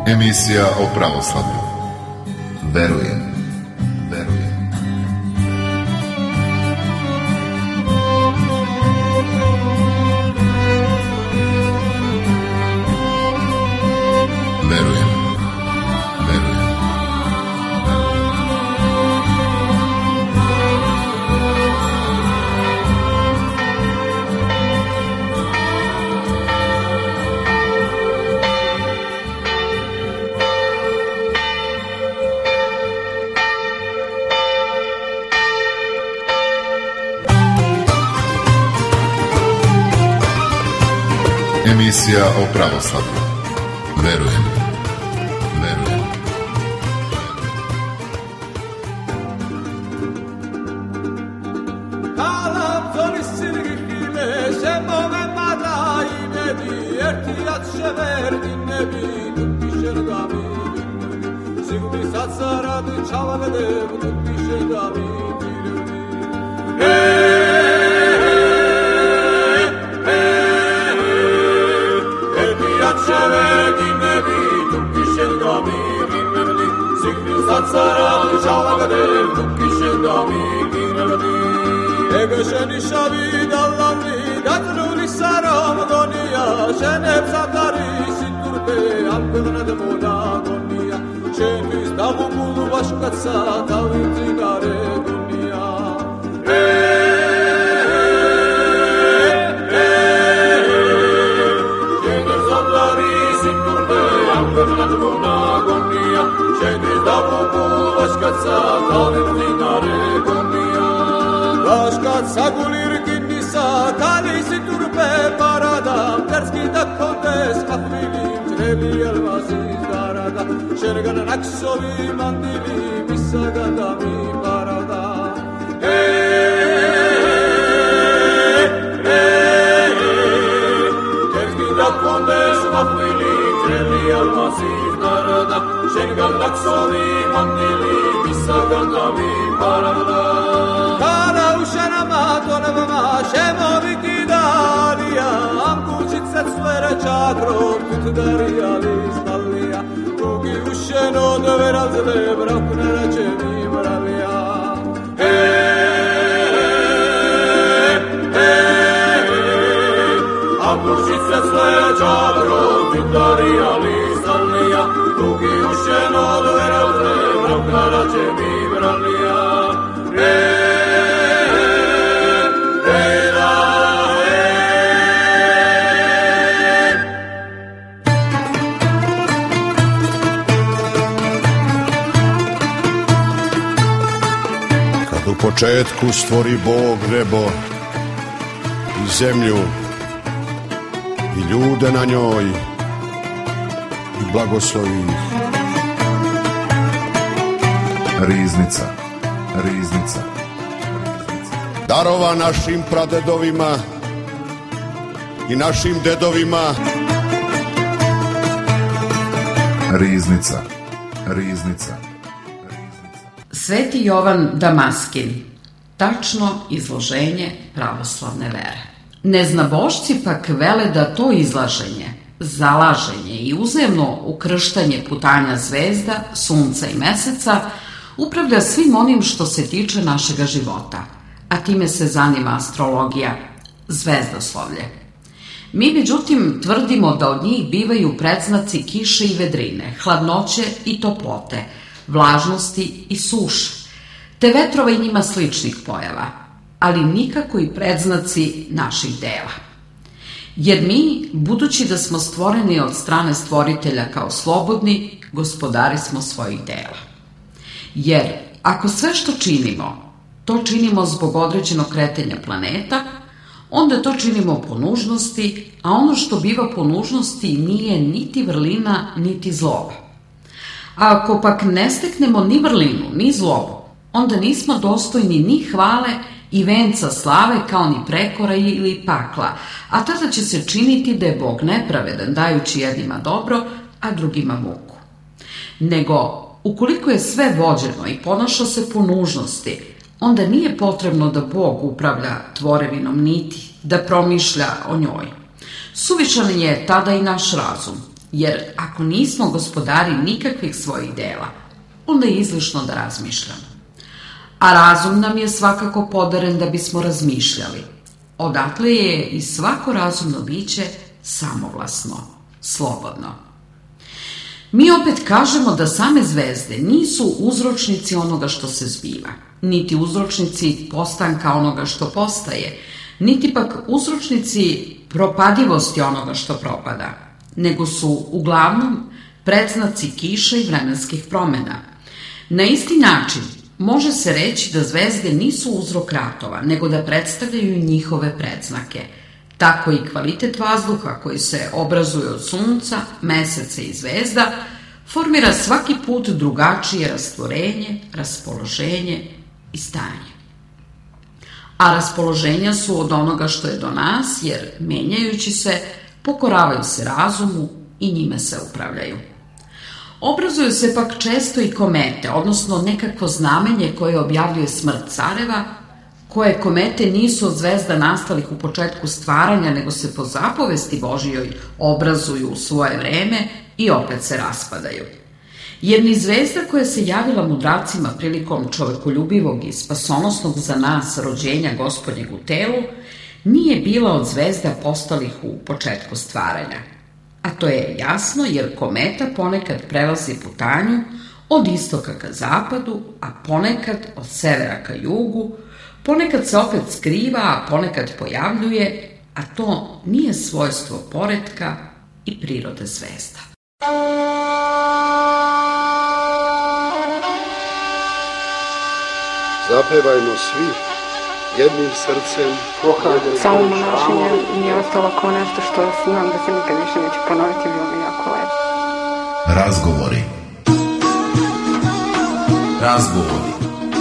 Emisija o pravoslavlju. Verujem. Emisija o pravoslavlju. Verujem. U početku stvori Bog nebo i zemlju i ljude na njoj i blagoslovi ih. Riznica. Darova našim pradedovima i našim dedovima. Riznica. Sveti Jovan Damaskin, tačno izloženje pravoslavne vere. Neznabošci pak vele da to izlaženje, zalaženje i uzemno ukrštanje putanja zvezda, sunca i meseca upravlja svim onim što se tiče našega života, a time se zanima astrologija, zvezdoslovlje. Mi, međutim, tvrdimo da od njih bivaju predznaci kiše i vedrine, hladnoće i toplote, vlažnosti i suše, te vetrova i njima sličnih pojava, ali nikako i predznaci naših dela. Jer mi, budući da smo stvoreni od strane stvoritelja kao slobodni, gospodari smo svojih dela. Jer ako sve što činimo, to činimo zbog određenog kretanja planeta, onda to činimo po nužnosti, a ono što biva po nužnosti nije niti vrlina, niti zloba. A ako pak ne steknemo ni vrlinu, ni zlobu, onda nismo dostojni ni hvale i venca slave kao ni prekora ili pakla, a tada će se činiti da je Bog nepravedan, dajući jednima dobro, a drugima muku. Nego, ukoliko je sve vođeno i ponaša se po nužnosti, onda nije potrebno da Bog upravlja tvorevinom niti da promišlja o njoj. Suvišan je tada i naš razum, jer ako nismo gospodari nikakvih svojih dela, onda je izlišno da razmišljamo. A razum nam je svakako podaren da bismo razmišljali. Odatle je i svako razumno biće samovlasno, slobodno. Mi opet kažemo da same zvezde nisu uzročnici onoga što se zbiva, niti uzročnici postanka onoga što postaje, niti pak uzročnici propadivosti onoga što propada, nego su uglavnom predznaci kiša i vremenskih promena. Na isti način može se reći da zvezde nisu uzrok ratova, nego da predstavljaju njihove predznake. Tako i kvalitet vazduha koji se obrazuje od sunca, meseca i zvezda formira svaki put drugačije rastvorenje, raspoloženje i stanje. A raspoloženja su od onoga što je do nas, jer menjajući se, pokoravaju se razumu i njime se upravljaju. Obrazuju se pak često i komete, odnosno nekakvo znamenje koje objavljuje smrt careva, koje komete nisu od zvezda nastalih u početku stvaranja, nego se po zapovesti Božijoj obrazuju u svoje vreme i opet se raspadaju. Jer ni zvezda koja se javila mudracima prilikom čovekoljubivog i spasonosnog za nas rođenja Gospodnjeg u telu, nije bila od zvezda postalih u početku stvaranja. A to je jasno jer kometa ponekad prelazi putanju od istoka ka zapadu, a ponekad od severa ka jugu, ponekad se opet skriva, a ponekad pojavljuje, a to nije svojstvo poretka i prirode zvezda. Zapevajmo svi jednim srcem. Samo monašenje mi je ostalo kao nešto što znam da se nikad više neće ponoviti, bilo mi jako lepo. Razgovori.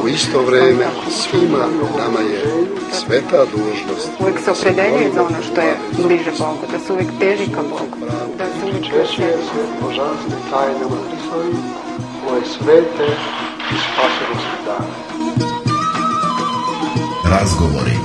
U isto vreme svima nama je sveta dužnost. Uvijek se opredeljuje za ono što je bliže Bogu, da se uvijek teži ka Bogu, da se uvijek Češuje se božanstvim tajnama Hristovim, koje svete i spasonosne dane. Razgovori.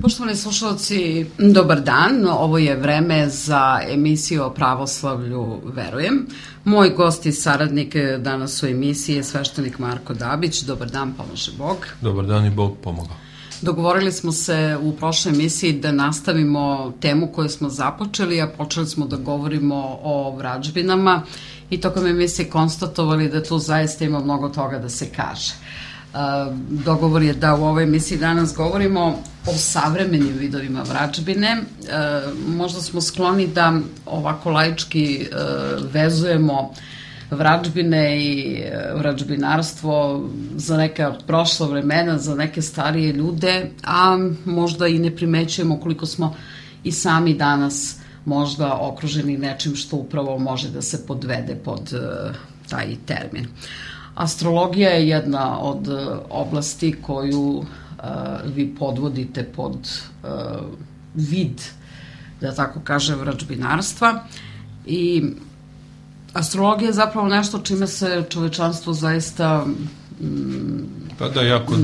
Poštovani slušalci, dobar dan. Ovo je vreme za emisiju o pravoslavlju Verujem. Moj gost i saradnik danas u emisiji je sveštenik Marko Dabić. Dobar dan, pomaže Bog. Dobar dan i Bog pomogao. Dogovorili smo se u prošloj emisiji da nastavimo temu koju smo započeli, a počeli smo da govorimo o vražbinama i tokom emisije konstatovali da tu zaista ima mnogo toga da se kaže. Dogovor je da u ovoj emisiji danas govorimo o savremenim vidovima vražbine. Možda smo skloni da ovako laički vezujemo vražbine i vražbinarstvo za neka prošla vremena, za neke starije ljude, a možda i ne primećujemo koliko smo i sami danas možda okruženi nečim što upravo može da se podvede pod taj termin. Astrologija je jedna od oblasti koju vi podvodite pod vid, da tako kažem, vražbinarstva i astrologija je zapravo nešto čime se čovečanstvo zaista jako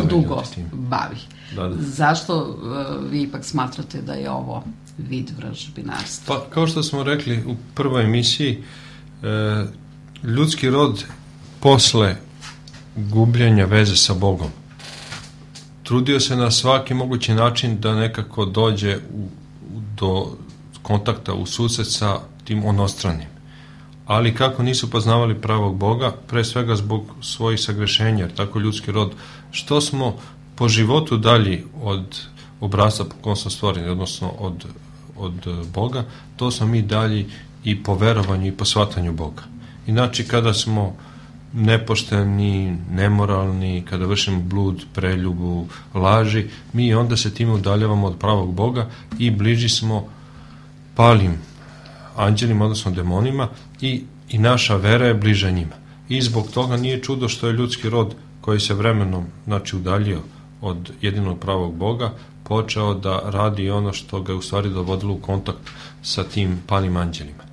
dugo bavi. Da. Zašto vi ipak smatrate da je ovo vid vražbinarstva? Pa, kao što smo rekli u prvoj emisiji, ljudski rod posle gubljenja veze sa Bogom trudio se na svaki mogući način da nekako dođe do kontakta u susret sa tim onostranim. Ali kako nisu poznavali pravog Boga, pre svega zbog svojih sagrešenja, jer tako ljudski rod, što smo po životu dalji od obrasca po kom smo stvoreni, odnosno od Boga, to smo mi dalji i po verovanju i po shvatanju Boga. Inači, kada smo nepošteni, nemoralni, kada vršimo blud, preljubu, laži, mi onda se time udaljavamo od pravog Boga i bliži smo palim anđelima, odnosno demonima, i naša vera je bliža njima. I zbog toga nije čudo što je ljudski rod koji se vremenom udaljio od jedinog pravog Boga počeo da radi ono što ga je u stvari dovodilo u kontakt sa tim palim anđelima.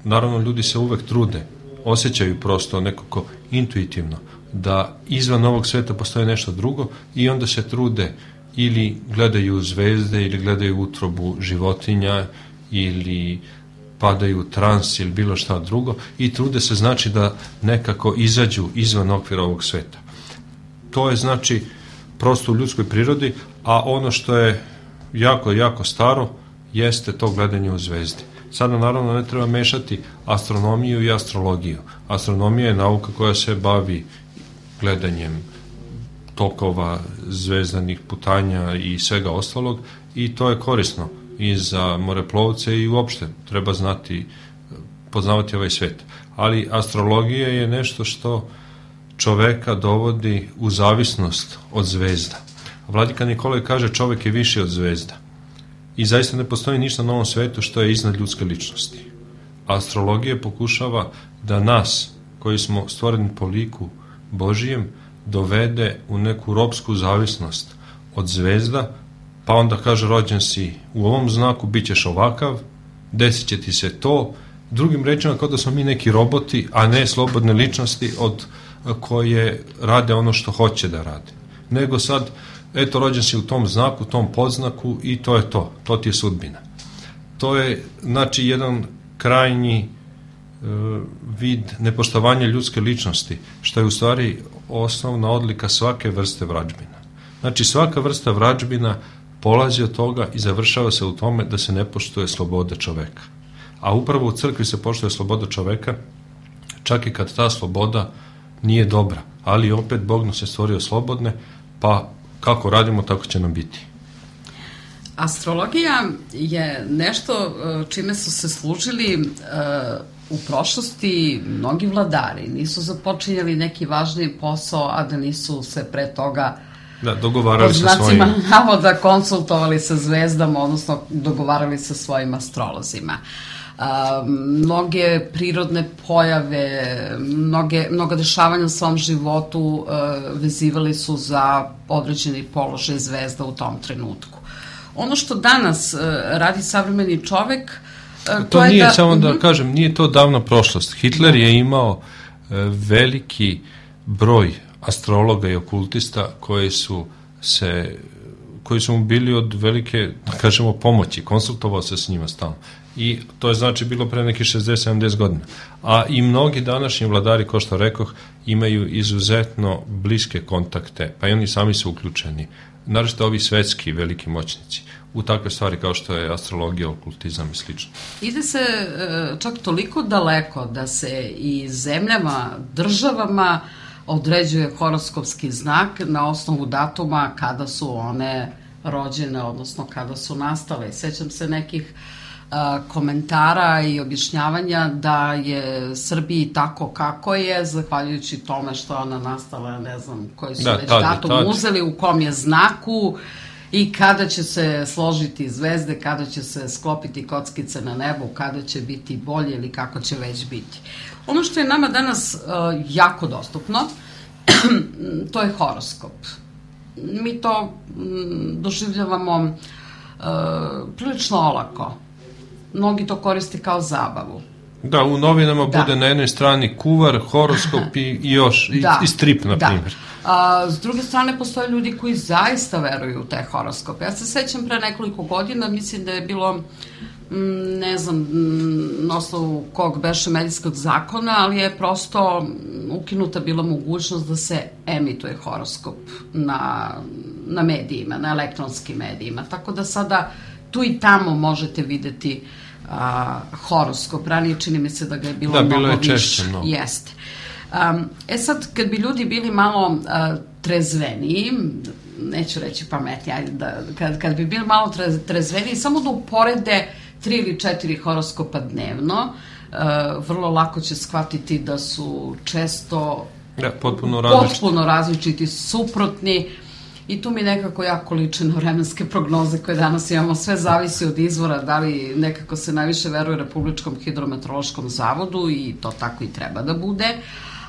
Naravno, ljudi se uvek trude, osjećaju prosto nekako intuitivno da izvan ovog sveta postoji nešto drugo i onda se trude ili gledaju zvezde, ili gledaju utrobu životinja, ili padaju u trans ili bilo šta drugo i trude se znači da nekako izađu izvan okvira ovog sveta. To je znači prosto u ljudskoj prirodi, a ono što je jako, jako staro jeste to gledanje u zvezdi. Sada naravno ne treba mešati astronomiju i astrologiju. Astronomija je nauka koja se bavi gledanjem tokova, zvezdanih putanja i svega ostalog i to je korisno i za moreplovce i uopšte treba poznavati ovaj svet. Ali astrologija je nešto što čoveka dovodi u zavisnost od zvezda. Vladika Nikolaj kaže čovek je viši od zvezda. I zaista ne postoji ništa na ovom svetu što je iznad ljudske ličnosti. Astrologija pokušava da nas, koji smo stvoreni po liku Božijem, dovede u neku ropsku zavisnost od zvezda, pa onda kaže rođen si u ovom znaku, bit ćeš ovakav, desit će ti se to. Drugim rečima kao da smo mi neki roboti, a ne slobodne ličnosti od koje rade ono što hoće da rade. Nego sad, eto, rođen si u tom znaku, tom podznaku i to je to. To ti je sudbina. To je, znači, jedan krajnji vid nepoštovanja ljudske ličnosti, što je u stvari osnovna odlika svake vrste vrađbina. Znači, svaka vrsta vrađbina polazi od toga i završava se u tome da se ne poštuje sloboda čoveka. A upravo u crkvi se poštuje sloboda čoveka, čak i kad ta sloboda nije dobra. Ali opet Bog nas je stvorio slobodne, pa kako radimo, tako će nam biti. Astrologija je nešto čime su se služili u prošlosti mnogi vladari. Nisu započinjali neki važni posao, a da nisu se pre toga dogovarali sa svojim navoda konsultovali sa zvezdama, odnosno dogovarali sa svojim astrolozima. Mnoge prirodne pojave, mnoga dešavanja u svom životu vezivali su za određeni položaj zvezda u tom trenutku. Ono što danas radi savremeni čovek, to nije, samo da kažem, nije to davna prošlost. Hitler je imao veliki broj astrologa i okultista koji su mu bili od velike, da kažemo, pomoći, konsultovao se s njima stalno. I to je znači bilo pre nekih 60-70 godina. A i mnogi današnji vladari, kao što rekoh, imaju izuzetno bliske kontakte, pa i oni sami su uključeni, naročito ovi svetski veliki moćnici, u takve stvari kao što je astrologija, okultizam i slično. Ide se čak toliko daleko da se i zemljama, državama određuje horoskopski znak na osnovu datuma kada su one rođene, odnosno kada su nastale. Sećam se nekih komentara i objašnjavanja da je Srbiji tako kako je, zahvaljujući tome što ona nastala, ne znam koji su već datum uzeli, u kom je znaku i kada će se složiti zvezde, kada će se sklopiti kockice na nebu, kada će biti bolje ili kako će već biti. Ono što je nama danas jako dostupno, to je horoskop. Mi to doživljavamo prilično olako. Mnogi to koriste kao zabavu. Da, u novinama bude na jednoj strani kuvar, horoskop i još, i strip, na primjer. S druge strane, postoje ljudi koji zaista veruju u te horoskope. Ja se sećam pre nekoliko godina, mislim da je bilo, ne znam, na osnovu kog beše medijskog zakona, ali je prosto ukinuta bila mogućnost da se emituje horoskop na medijima, na elektronskim medijima. Tako da sada tu i tamo možete videti horoskop. Ranije čini mi se da ga je bilo mnogo više. Da, bilo je češće mnogo. Jeste. Sad, kad bi ljudi bili malo trezveniji, neću reći pametni, kad bi bili malo trezveniji, samo da uporede 3 ili 4 horoskopa dnevno, vrlo lako će shvatiti da su često potpuno različiti, suprotni. I tu mi nekako jako liče na vremenske prognoze koje danas imamo. Sve zavisi od izvora, da li nekako se najviše veruje Republičkom hidrometeorološkom zavodu i to tako i treba da bude.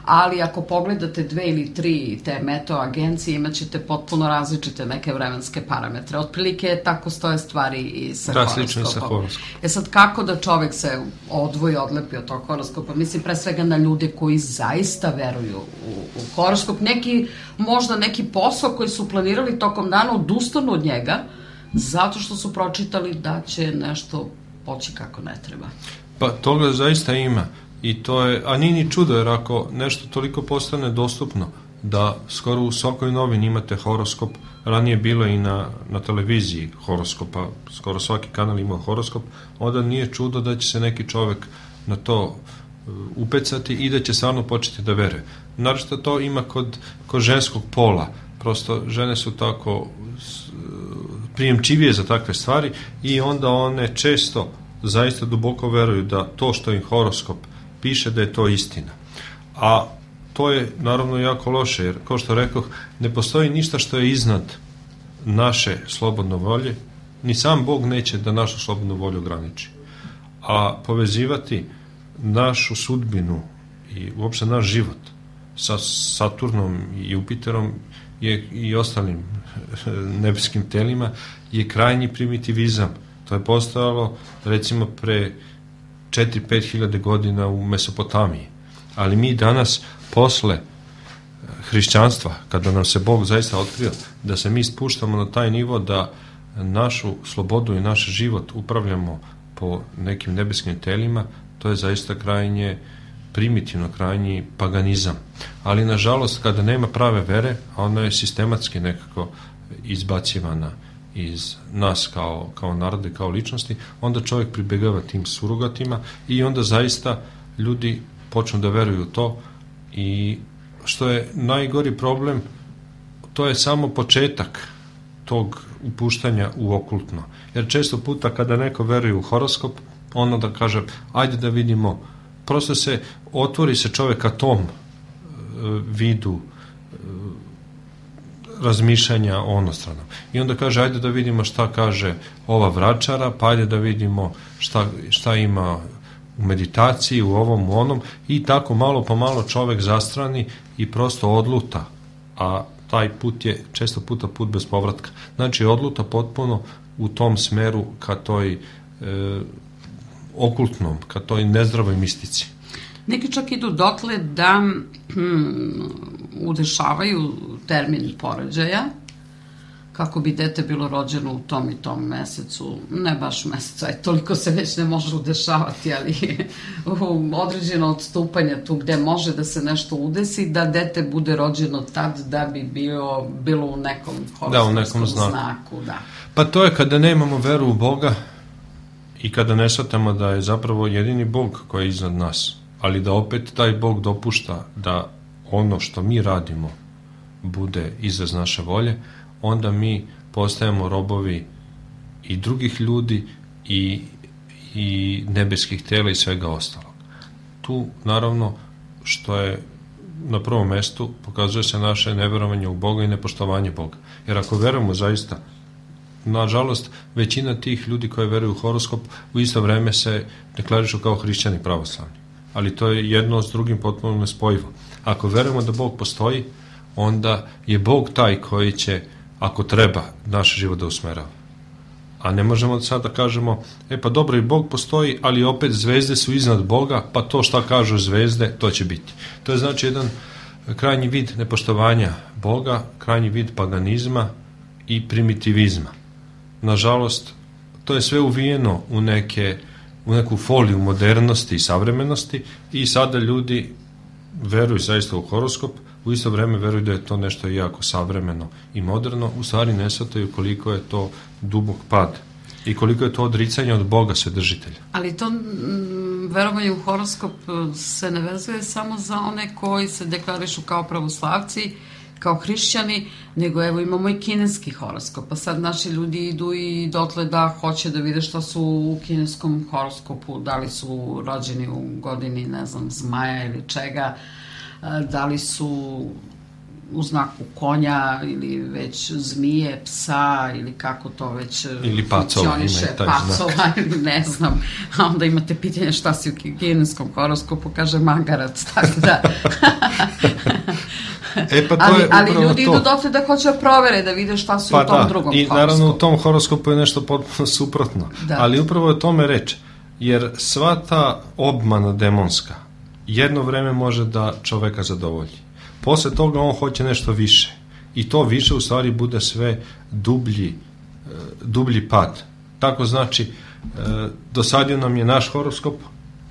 ali ako pogledate 2 ili 3 te meteo agencije, imat ćete potpuno različite neke vremenske parametre. Otprilike tako stoje stvari i sa horoskopom. Da, slično i sa horoskopom. Sad, kako da čovek se odvoji, odlepi od tog horoskopa? Mislim, pre svega na ljude koji zaista veruju u horoskop. Možda neki posao koji su planirali tokom dana odustanu od njega, zato što su pročitali da će nešto poći kako ne treba. Pa toga zaista ima. I to je, a nije ni čudo, jer ako nešto toliko postane dostupno, da skoro u svakoj novini imate horoskop, ranije bilo i na televiziji horoskopa, skoro svaki kanal ima horoskop, onda nije čudo da će se neki čovek na to upecati i da će stvarno početi da veruje. Naravno to ima kod ženskog pola, prosto žene su tako prijemčivije za takve stvari i onda one često zaista duboko veruju da to što im horoskop piše da je to istina. A to je naravno jako loše, jer kao što rekoh, ne postoji ništa što je iznad naše slobodne volje, ni sam Bog neće da našu slobodnu volju ograniči. A povezivati našu sudbinu i uopšte naš život sa Saturnom i Jupiterom i ostalim nebeskim telima je krajnji primitivizam. To je postojalo recimo pre 4-5 hiljade godina u Mesopotamiji. Ali mi danas, posle hrišćanstva, kada nam se Bog zaista otkrio, da se mi spuštamo na taj nivo da našu slobodu i naš život upravljamo po nekim nebeskim telima, to je zaista krajnje primitivno, krajnji paganizam. Ali nažalost, kada nema prave vere, a ona je sistematski nekako izbacivana iz nas kao narode, kao ličnosti, onda čovjek pribegava tim surogatima i onda zaista ljudi počnu da veruju u to i što je najgori problem, to je samo početak tog upuštanja u okultno. Jer često puta kada neko veruje u horoskop, ono da kaže, ajde da vidimo, prosto se otvori se čovjeka tom vidu razmišljanja onostranom. I onda kaže, ajde da vidimo šta kaže ova vračara, pa ajde da vidimo šta ima u meditaciji, u ovom, u onom, i tako malo po malo čovjek zastrani i prosto odluta, a taj put je često puta put bez povratka. Znači, odluta potpuno u tom smeru ka toj okultnom, ka toj nezdravoj mistici. Neki čak idu dotle da udešavaju termin porođaja, kako bi dete bilo rođeno u tom i tom mesecu, ne baš mesecu, toliko se već ne može udešavati, ali određeno odstupanje tu gde može da se nešto udesi, da dete bude rođeno tad da bi bilo u nekom horoskopskom znaku. Da. Pa to je kada nemamo veru u Boga i kada ne shvatamo da je zapravo jedini Bog koji je iznad nas, ali da opet taj Bog dopušta da ono što mi radimo bude izraz naše volje, onda mi postajemo robovi i drugih ljudi i nebeskih tela i svega ostalog. Tu, naravno, što je na prvom mestu, pokazuje se naše neverovanje u Boga i nepoštovanje Boga. Jer ako verujemo zaista, nažalost, većina tih ljudi koji veruju u horoskop u isto vreme se deklarišu kao hrišćani pravoslavni. Ali to je jedno s drugim potpuno nespojivo. Ako verujemo da Bog postoji, onda je Bog taj koji će, ako treba, naš život da usmerava. A ne možemo sad da kažemo, pa dobro, i Bog postoji, ali opet zvezde su iznad Boga, pa to šta kažu zvezde, to će biti. To je znači jedan krajnji vid nepoštovanja Boga, krajnji vid paganizma i primitivizma. Nažalost, to je sve uvijeno u neku foliju modernosti i savremenosti i sada ljudi veruju zaista u horoskop, u isto vreme veruju da je to nešto jako savremeno i moderno, u stvari ne shvataju koliko je to dubok pad i koliko je to odricanje od Boga Svedržitelja. Ali to verovanje u horoskop se ne vezuje samo za one koji se deklarišu kao pravoslavci, kao hrišćani, nego evo imamo i kineski horoskop, pa sad naši ljudi idu i dotle da hoće da vide šta su u kineskom horoskopu, da li su rođeni u godini, ne znam, zmaja ili čega, da li su u znaku konja ili već zmije, psa ili kako to već ili pacova, ima i taj pacova, ili ne znam, a onda imate pitanje šta si u kinezkom horoskopu, kaže magarac, tako da pa to ali ljudi idu dotle da hoće da provere, da vide šta su u tom drugom horoskopu. I naravno u tom horoskopu je nešto potpuno suprotno, ali upravo je tome reč, jer sva ta obmana demonska jedno vreme može da čoveka zadovolji. Posle toga on hoće nešto više i to više u stvari bude sve dublji pad. Tako znači, dosadio nam je naš horoskop,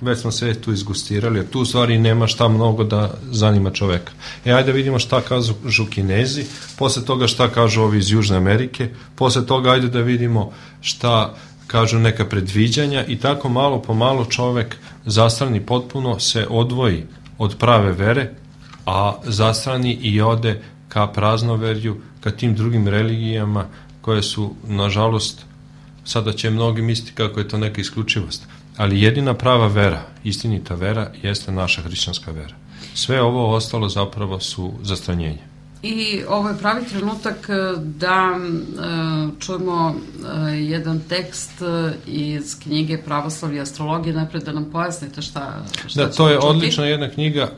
već smo sve tu izgustirali, jer tu u stvari nema šta mnogo da zanima čoveka. Ajde vidimo šta kažu Kinezi, posle toga šta kažu ovi iz Južne Amerike, posle toga ajde da vidimo šta kažu neka predviđanja i tako malo po malo čovek zastrani potpuno, se odvoji od prave vere, a zastrani i ode ka praznoverju, ka tim drugim religijama koje su, nažalost, sada će mnogi misliti kako je to neka isključivost, ali jedina prava vera, istinita vera, jeste naša hrišćanska vera. Sve ovo ostalo zapravo su zastranjenje. I ovo je pravi trenutak da čujemo jedan tekst iz knjige Pravoslavlje i astrologije, najpred da nam pojasnite šta da, to je odlična jedna knjiga,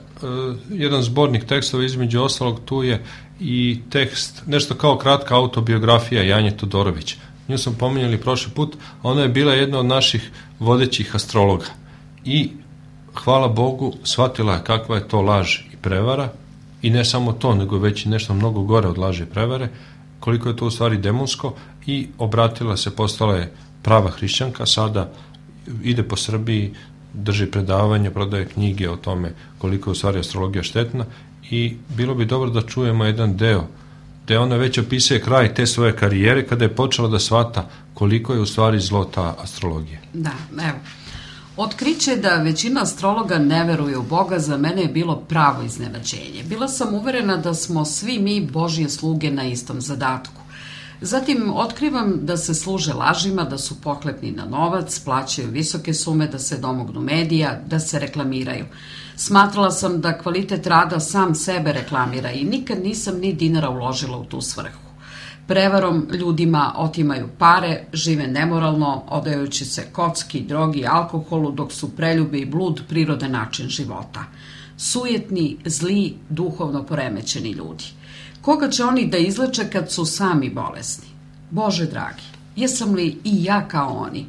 jedan zbornik tekstova, između ostalog tu je i tekst, nešto kao kratka autobiografija Janje Todorović. Nju sam pominjali prošli put, ona je bila jedna od naših vodećih astrologa i hvala Bogu shvatila je kakva je to laž i prevara, i ne samo to, nego već nešto mnogo gore od laži i prevare, koliko je to u stvari demonsko, i obratila se, postala je prava hrišćanka, sada ide po Srbiji, drži predavanja, prodaje knjige o tome koliko je u stvari astrologija štetna, i bilo bi dobro da čujemo jedan deo gde ona već opisuje kraj te svoje karijere kada je počela da shvata koliko je u stvari zlo ta astrologija. Da, evo. Otkriće da većina astrologa ne veruje u Boga za mene je bilo pravo iznenađenje. Bila sam uverena da smo svi mi Božje sluge na istom zadatku. Zatim otkrivam da se služe lažima, da su pohlepni na novac, plaćaju visoke sume da se domognu medija, da se reklamiraju. Smatrala sam da kvalitet rada sam sebe reklamira i nikad nisam ni dinara uložila u tu svrhu. Prevarom ljudima otimaju pare, žive nemoralno, odajući se kocki, drogi, alkoholu, dok su preljube i blud prirodan način života. Sujetni, zli, duhovno poremećeni ljudi. Koga će oni da izleče kad su sami bolesni? Bože dragi, jesam li i ja kao oni?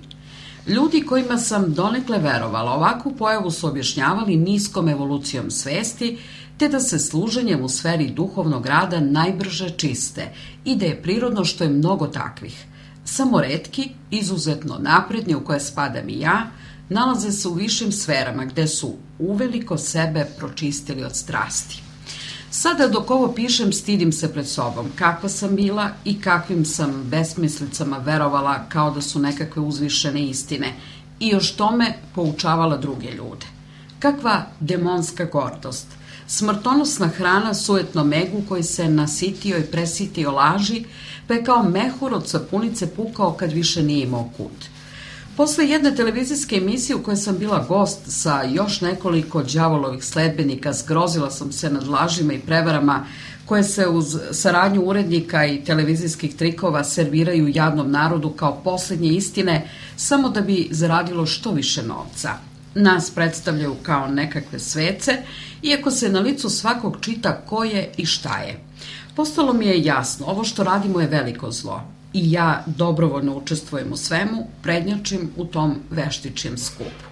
Ljudi kojima sam donekle verovala ovakvu pojavu su objašnjavali niskom evolucijom svesti, te da se služenjem u sferi duhovnog rada najbrže čiste i da je prirodno što je mnogo takvih. Samo retki, izuzetno napredni, u koje spadam i ja, nalaze se u višim sferama gde su uveliko sebe pročistili od strasti. Sada dok ovo pišem stidim se pred sobom kakva sam bila i kakvim sam besmislicama verovala kao da su nekakve uzvišene istine i još tome poučavala druge ljude. Kakva demonska gordost, smrtonosna hrana sujetnom egu koji se nasitio i presitio laži, pa je kao mehur od sapunice pukao kad više nije imao kut. Posle jedne televizijske emisije u kojoj sam bila gost sa još nekoliko đavolovih sledbenika, zgrozila sam se nad lažima i prevarama koje se uz saradnju urednika i televizijskih trikova serviraju jadnom narodu kao poslednje istine samo da bi zaradilo što više novca. Nas predstavljaju kao nekakve svece, iako se na licu svakog čita ko je i šta je. Postalo mi je jasno, ovo što radimo je veliko zlo. I ja dobrovoljno učestvujem u svemu, prednjačim u tom veštičijem skupu.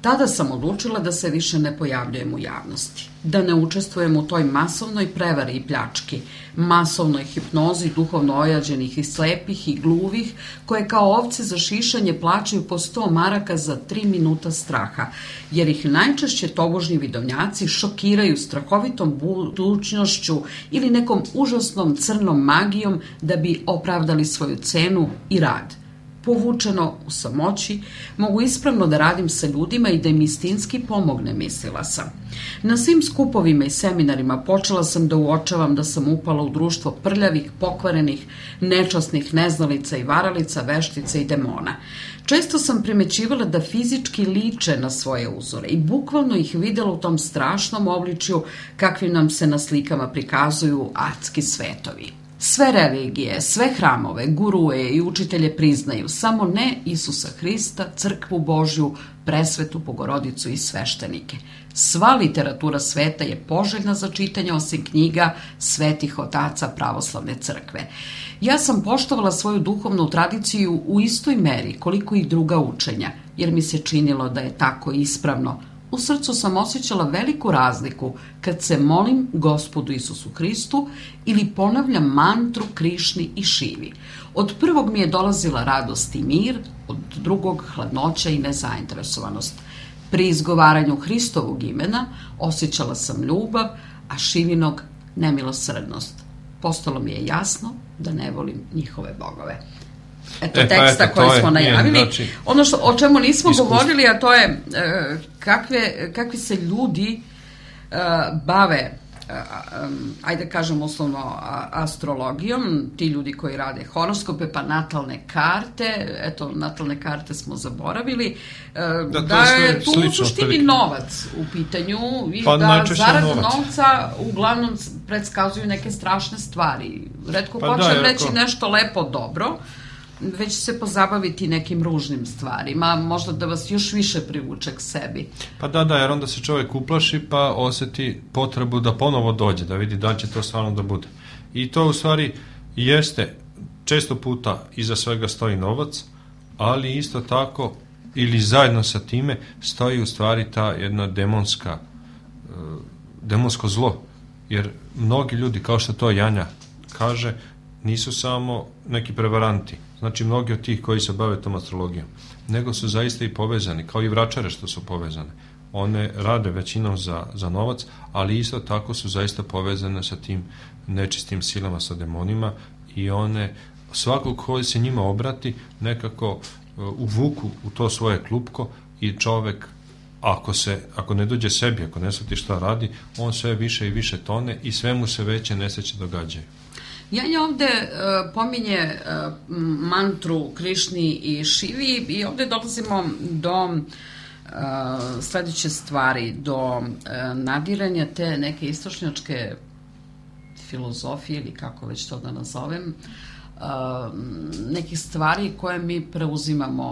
Tada sam odlučila da se više ne pojavljujem u javnosti, da ne učestvujem u toj masovnoj prevari i pljački, masovnoj hipnozi duhovno ojađenih i slepih i gluvih, koje kao ovce za šišanje plaćaju po 100 maraka za 3 minuta straha, jer ih najčešće tobožnji vidovnjaci šokiraju strahovitom budućnošću ili nekom užasnom crnom magijom da bi opravdali svoju cenu i rad. povučeno u samoći, mogu ispravno da radim sa ljudima i da im istinski pomogne, mislila sam. Na svim skupovima i seminarima počela sam da uočavam da sam upala u društvo prljavih, pokvarenih, nečasnih neznalica i varalica, veštica i demona. Često sam primećivala da fizički liče na svoje uzore i bukvalno ih videla u tom strašnom obličju kakvi nam se na slikama prikazuju adski svetovi. Sve religije, sve hramove, guruje i učitelje priznaju, samo ne Isusa Hrista, crkvu Božju, presvetu Bogorodicu i sveštenike. Sva literatura sveta je poželjna za čitanje osim knjiga svetih otaca pravoslavne crkve. Ja sam poštovala svoju duhovnu tradiciju u istoj meri koliko i druga učenja, jer mi se činilo da je tako ispravno. U srcu sam osjećala veliku razliku kad se molim Gospodu Isusu Hristu ili ponavljam mantru Krišni i Šivi. Od prvog mi je dolazila radost i mir, od drugog hladnoća i nezainteresovanost. Pri izgovaranju Hristovog imena osjećala sam ljubav, a Šivinog nemilosrdnost. Postalo mi je jasno da ne volim njihove bogove. Eto teksta koji smo najavili. Znači, ono o čemu nismo govorili, a to je kakvi se ljudi bave, ajde kažem uslovno astrologijom, ti ljudi koji rade horoskope, pa natalne karte, eto, natalne karte smo zaboravili, da je tu u suštini novac u pitanju i da zarad novca uglavnom predskazuju neke strašne stvari. Retko hoćem reći nešto lepo dobro, već se pozabaviti nekim ružnim stvarima, možda da vas još više privuče k sebi. Pa da, jer onda se čovjek uplaši pa osjeti potrebu da ponovo dođe, da vidi da će to stvarno da bude. I to u stvari jeste, često puta iza svega stoji novac, ali isto tako, ili zajedno sa time, stoji u stvari ta jedna demonsko zlo. Jer mnogi ljudi, kao što to Janja kaže, nisu samo neki prevaranti. Znači, mnogi od tih koji se bave tom astrologijom, nego su zaista i povezani, kao i vračare što su povezane. One rade većinom za novac, ali isto tako su zaista povezane sa tim nečistim silama, sa demonima, i one, svakog koji se njima obrati, nekako uvuku u to svoje klupko i čovek, ako ne dođe sebi, ako ne shvati šta radi, on sve više i više tone i sve mu se veće nesreće događaju. Janja ovde pominje mantru Krišni i Šivi i ovde dolazimo do sledeće stvari, do nadiranja te neke istočnjačke filozofije ili kako već to da nazovem, nekih stvari koje mi preuzimamo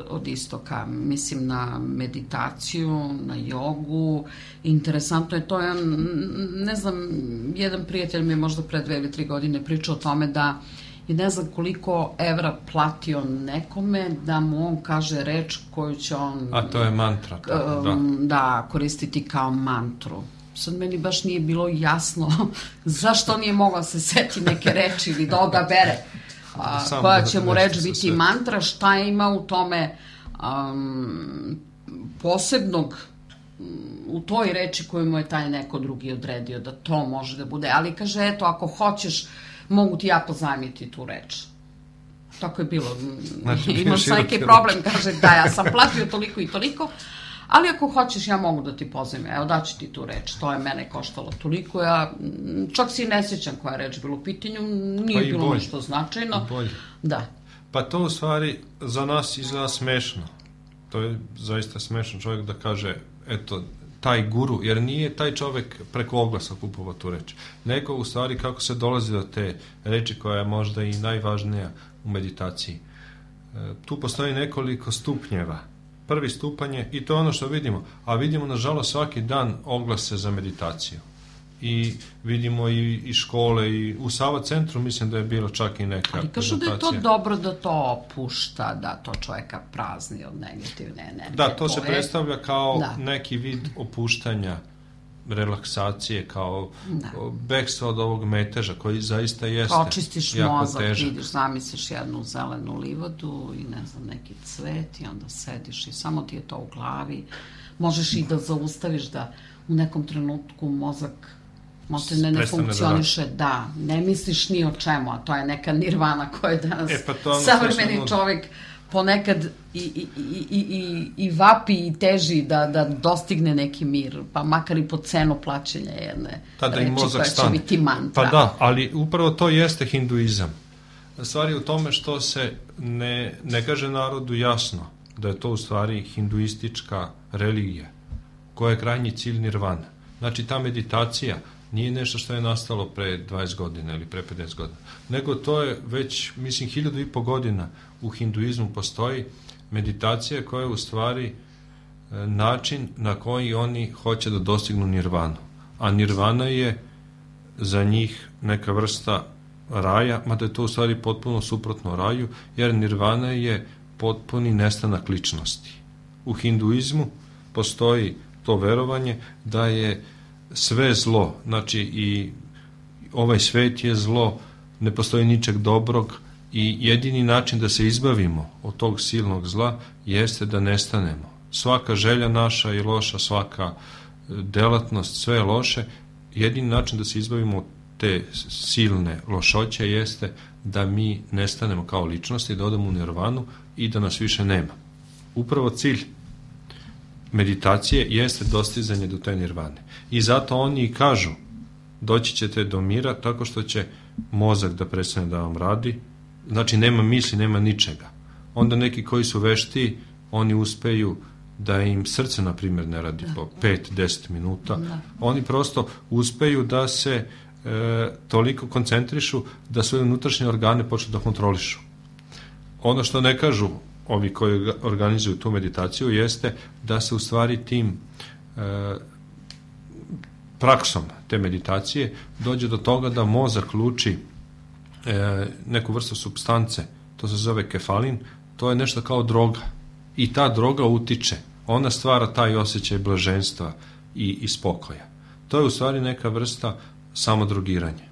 od istoka. Mislim na meditaciju, na jogu. Interesantno je to, ne znam, jedan prijatelj mi je možda pre 2 ili 3 godine pričao o tome da je ne znam koliko evra platio nekome da mu on kaže reč koju će on... A to je mantra. Da, koristiti kao mantru. Sad meni baš nije bilo jasno zašto nije mogla se seti neke reči ili da odabere koja će mu reč biti mantra, šta ima u tome posebnog u toj reči koju mu je taj neko drugi odredio da to može da bude, ali kaže eto ako hoćeš mogu ti ja pozajmiti tu reč. Tako je bilo. Znači, imaš neki problem, kaže da ja sam platio toliko i toliko, ali ako hoćeš ja mogu da ti pozajmim, evo daću ti tu reč, to je mene koštalo toliko, ja čak si ne sjećam koja je reč bila u pitanju, nije bilo nešto značajno. Da. Pa to u stvari za nas izgleda smešno. To je zaista smešno čovjek da kaže, eto, taj guru, jer nije taj čovjek preko oglasa kupovao tu reč. Neko u stvari kako se dolazi do te reči koja je možda i najvažnija u meditaciji. Tu postoji nekoliko stupnjeva. Prvi stupanj je, i to je ono što vidimo, a vidimo nažalost svaki dan oglase za meditaciju. I vidimo i škole, i u Sava centru mislim da je bilo čak i neka ali kažu da je to dobro da to opušta, da to čovjeka prazni od negativne energije. Da, to se predstavlja kao neki vid opuštanja, relaksacije, kao bekstva od ovog meteža koji zaista jeste jako težak. Očistiš mozak, vidiš, zamisliš jednu zelenu livadu i ne znam, neki cvet i onda sediš i samo ti je to u glavi. Možeš i da zaustaviš da u nekom trenutku mozak Maltene ne funkcioniše, da, ne misliš ni o čemu, a to je neka nirvana koja je danas savremeni čovjek ponekad i vapi i teži da dostigne neki mir, pa makar i po cenu plaćanja jedne reči koja će biti mantra. Pa da, ali upravo to jeste hinduizam. Stvar je u tome što se ne kaže narodu jasno da je to u stvari hinduistička religija koja je krajnji cilj nirvana. Znači ta meditacija nije nešto što je nastalo pre 20 godina ili pre 50 godina, nego to je već, mislim, 1500 godina u hinduizmu postoji meditacija koja je u stvari način na koji oni hoće da dostignu nirvanu. A nirvana je za njih neka vrsta raja, mada je to u stvari potpuno suprotno raju, jer nirvana je potpuni nestanak ličnosti. U hinduizmu postoji to verovanje da je sve zlo, znači i ovaj svet je zlo, ne postoji ničeg dobrog i jedini način da se izbavimo od tog silnog zla jeste da nestanemo. Svaka želja naša je loša, svaka delatnost, sve je loše. Jedini način da se izbavimo od te silne lošoće jeste da mi nestanemo kao ličnosti, da odemo u nirvanu i da nas više nema. Upravo cilj meditacije jeste dostizanje do te nirvane. I zato oni i kažu, doći ćete do mira tako što će mozak da prestane da vam radi, znači nema misli, nema ničega. Onda neki koji su vešti, oni uspeju da im srce, na primjer, ne radi po 5-10 minuta. Oni prosto uspeju da se toliko koncentrišu da svoje unutrašnje organe počnu da kontrolišu. Ono što ne kažu ovi koji organizuju tu meditaciju jeste da se u stvari tim praksom te meditacije dođe do toga da mozak luči neku vrstu supstance, to se zove kefalin, to je nešto kao droga i ta droga utiče, ona stvara taj osjećaj blaženstva i spokoja. To je u stvari neka vrsta samodrogiranja.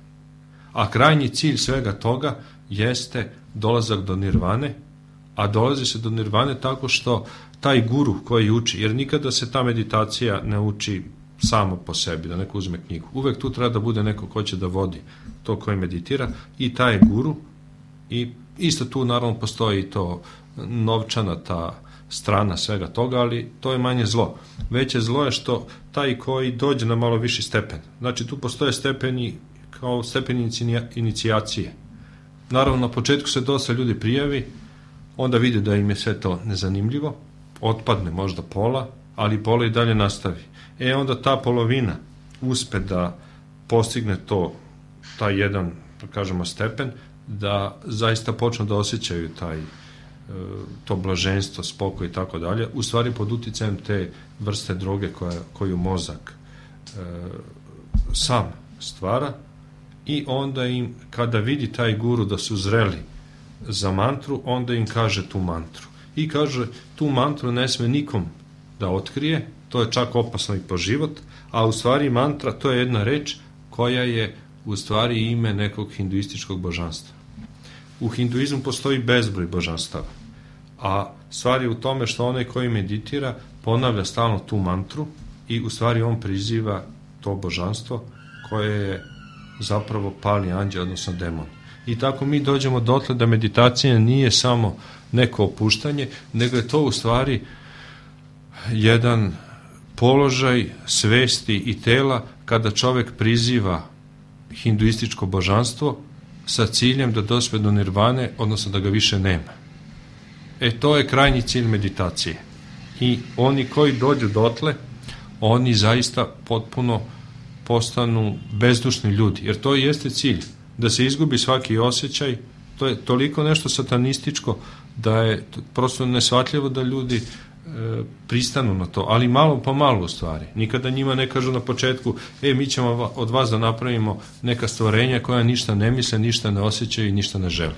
A krajnji cilj svega toga jeste dolazak do nirvane, a dolazi se do nirvane tako što taj guru koji uči, jer nikada se ta meditacija ne uči samo po sebi, da neko uzme knjigu. Uvek tu treba da bude neko ko će da vodi to koji meditira i taj je guru i isto tu naravno postoji to novčana ta strana svega toga, ali to je manje zlo. Veće zlo je što taj koji dođe na malo viši stepen. Znači tu postoje stepeni kao stepeni inicijacije. Naravno na početku se dosta ljudi prijavi, onda vide da im je sve to nezanimljivo, otpadne možda pola, ali pola i dalje nastavi. Onda ta polovina uspe da postigne taj jedan, da kažemo, stepen, da zaista počnu da osjećaju to blaženstvo, spokoj i tako dalje, u stvari pod uticajem te vrste droge koju mozak sam stvara, i onda im, kada vidi taj guru da su zreli za mantru, onda im kaže tu mantru. I kaže, tu mantru ne sme nikom da otkrije, to je čak opasno i po život, a u stvari mantra to je jedna reč koja je u stvari ime nekog hinduističkog božanstva. U hinduizmu postoji bezbroj božanstava, a stvar je u tome što onaj koji meditira ponavlja stalno tu mantru i u stvari on priziva to božanstvo koje je zapravo pali anđeo, odnosno demon. I tako mi dođemo dotle da meditacija nije samo neko opuštanje, nego je to u stvari jedan položaj svesti i tela kada čovek priziva hinduističko božanstvo sa ciljem da dospe do nirvane, odnosno da ga više nema. To je krajnji cilj meditacije. I oni koji dođu dotle, oni zaista potpuno postanu bezdušni ljudi, jer to jeste cilj, da se izgubi svaki osjećaj. To je toliko nešto satanističko da je prosto neshvatljivo da ljudi pristanu na to, ali malo po malo u stvari. Nikada njima ne kažu na početku, mi ćemo od vas da napravimo neka stvorenja koja ništa ne misle, ništa ne osjećaju i ništa ne žele.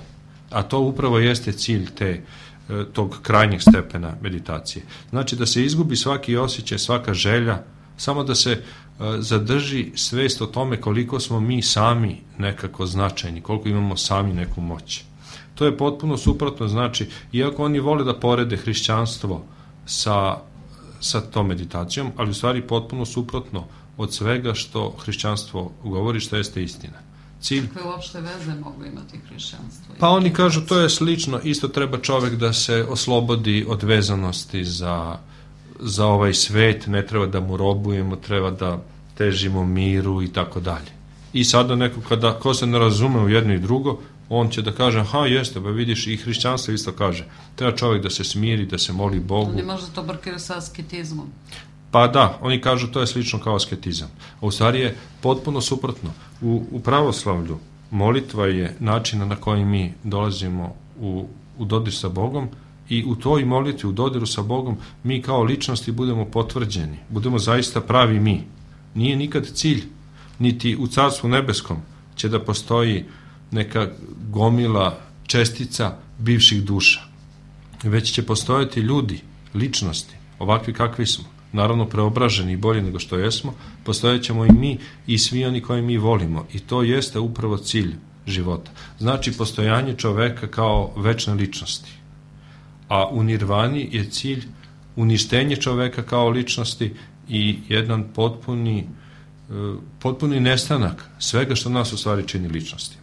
A to upravo jeste cilj tog krajnjeg stepena meditacije. Znači da se izgubi svaki osjećaj, svaka želja, samo da se zadrži svest o tome koliko smo mi sami nekako značajni, koliko imamo sami neku moć. To je potpuno suprotno, znači, iako oni vole da porede hrišćanstvo sa tom meditacijom, ali u stvari potpuno suprotno od svega što hrišćanstvo govori, što jeste istina. Cilj... Kakve uopšte veze mogu imati hrišćanstvo? Pa oni kažu to je slično, isto treba čovek da se oslobodi od vezanosti za ovaj svet, ne treba da mu robujemo, treba da težimo miru i tako dalje. I sada neko ko se ne razume u jedno i drugo, on će da kaže, aha, jeste, pa vidiš, i hrišćanstvo isto kaže, treba čovjek da se smiri, da se moli Bogu. Oni možda to brkaju sa asketizmom. Pa da, oni kažu to je slično kao asketizam. A u stvari je potpuno suprotno. U pravoslavlju molitva je način na koji mi dolazimo u dodir sa Bogom i u toj molitvi, u dodiru sa Bogom, mi kao ličnosti budemo potvrđeni, budemo zaista pravi mi. Nije nikad cilj, niti u Carstvu nebeskom će da postoji neka gomila čestica bivših duša. Već će postojati ljudi, ličnosti, ovakvi kakvi smo, naravno preobraženi i bolji nego što jesmo, postojat ćemo i mi i svi oni koji mi volimo i to jeste upravo cilj života. Znači postojanje čoveka kao večne ličnosti. A u nirvani je cilj uništenje čoveka kao ličnosti i jedan potpuni nestanak svega što nas u stvari čini ličnostima.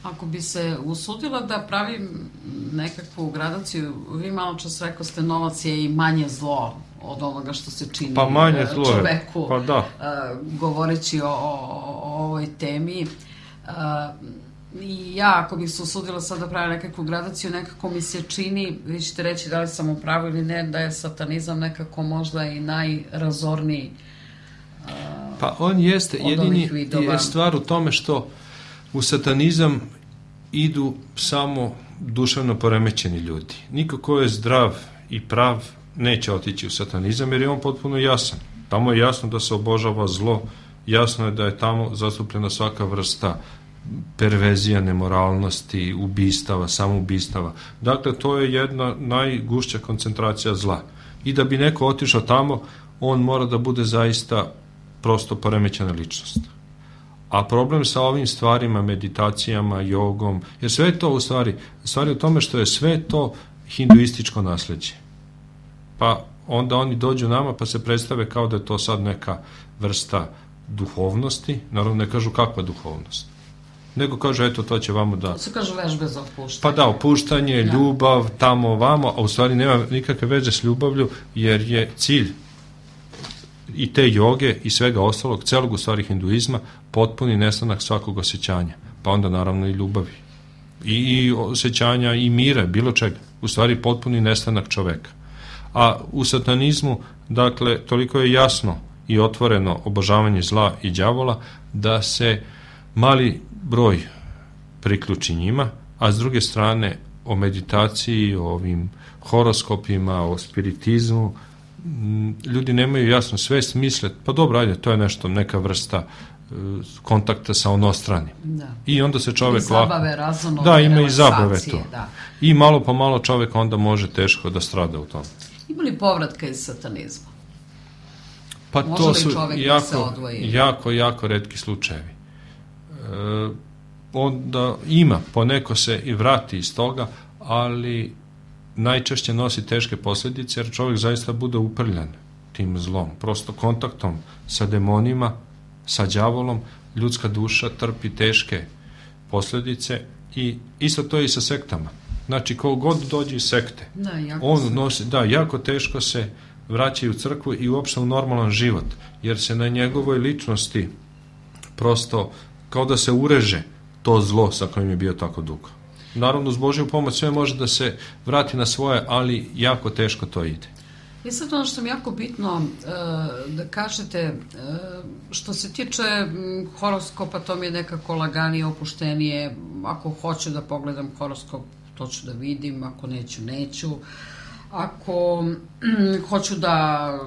Ako bi se usudila da pravim nekakvu gradaciju, vi malo čas rekao ste novac je i manje zlo od onoga što se čini pa manje zlo čoveku, pa da. Govoreći o ovoj temi. I ja, ako bih se usudila sad da pravim nekakvu gradaciju, nekako mi se čini, vi ćete reći da li sam u pravu ili ne, da je satanizam nekako možda i najrazorniji pa on jeste, jedini je stvar u tome što u satanizam idu samo duševno poremećeni ljudi. Niko ko je zdrav i prav neće otići u satanizam jer je on potpuno jasan. Tamo je jasno da se obožava zlo, jasno je da je tamo zastupljena svaka vrsta perverzija, nemoralnosti, ubistava, samoubistava. Dakle, to je jedna najgušća koncentracija zla. I da bi neko otišao tamo, on mora da bude zaista prosto poremećena ličnost. A problem sa ovim stvarima, meditacijama, jogom, jer sve je to u stvari u tome što je sve to hinduističko nasleđe. Pa onda oni dođu nama pa se predstave kao da je to sad neka vrsta duhovnosti, naravno ne kažu kakva duhovnost, nego kažu eto to će vamo da... To se kažu vežbe za opuštanje. Pa da, opuštanje, ljubav, tamo, vamo, a u stvari nema nikakve veze s ljubavlju jer je cilj i te joge i svega ostalog, celog u stvari hinduizma, potpuni nestanak svakog osjećanja, pa onda naravno i ljubavi i osjećanja i mira, bilo čega, u stvari potpuni nestanak čoveka. A u satanizmu, dakle, toliko je jasno i otvoreno obožavanje zla i đavola da se mali broj priključi njima, a s druge strane o meditaciji, o ovim horoskopima, o spiritizmu, ljudi nemaju jasno svest, misle, pa dobro, ajde, to je nešto, neka vrsta kontakta sa onostranim. Da. I onda se čovek... I zabave, razumno, da, ima i zabave to. Da. I malo po malo čovek onda može teško da strada u tom. Ima li povratka iz satanizma? Pa može to su jako retki slučajevi. Onda ima, poneko se i vrati iz toga, ali najčešće nosi teške posljedice jer čovjek zaista bude uprljan tim zlom. Prosto kontaktom sa demonima, sa đavolom, ljudska duša trpi teške posljedice i isto to je i sa sektama. Znači, ko god dođe iz sekte, jako teško se vraćaju u crkvu i uopšte u normalan život, jer se na njegovoj ličnosti prosto kao da se ureže to zlo sa kojim je bio tako dugo. Naravno, uz Božju pomoć sve može da se vrati na svoje, ali jako teško to ide. I sad ono što mi je jako bitno da kažete, što se tiče horoskopa, to mi je nekako laganije, opuštenije. Ako hoću da pogledam horoskop, to ću da vidim, ako neću. Ako hoću da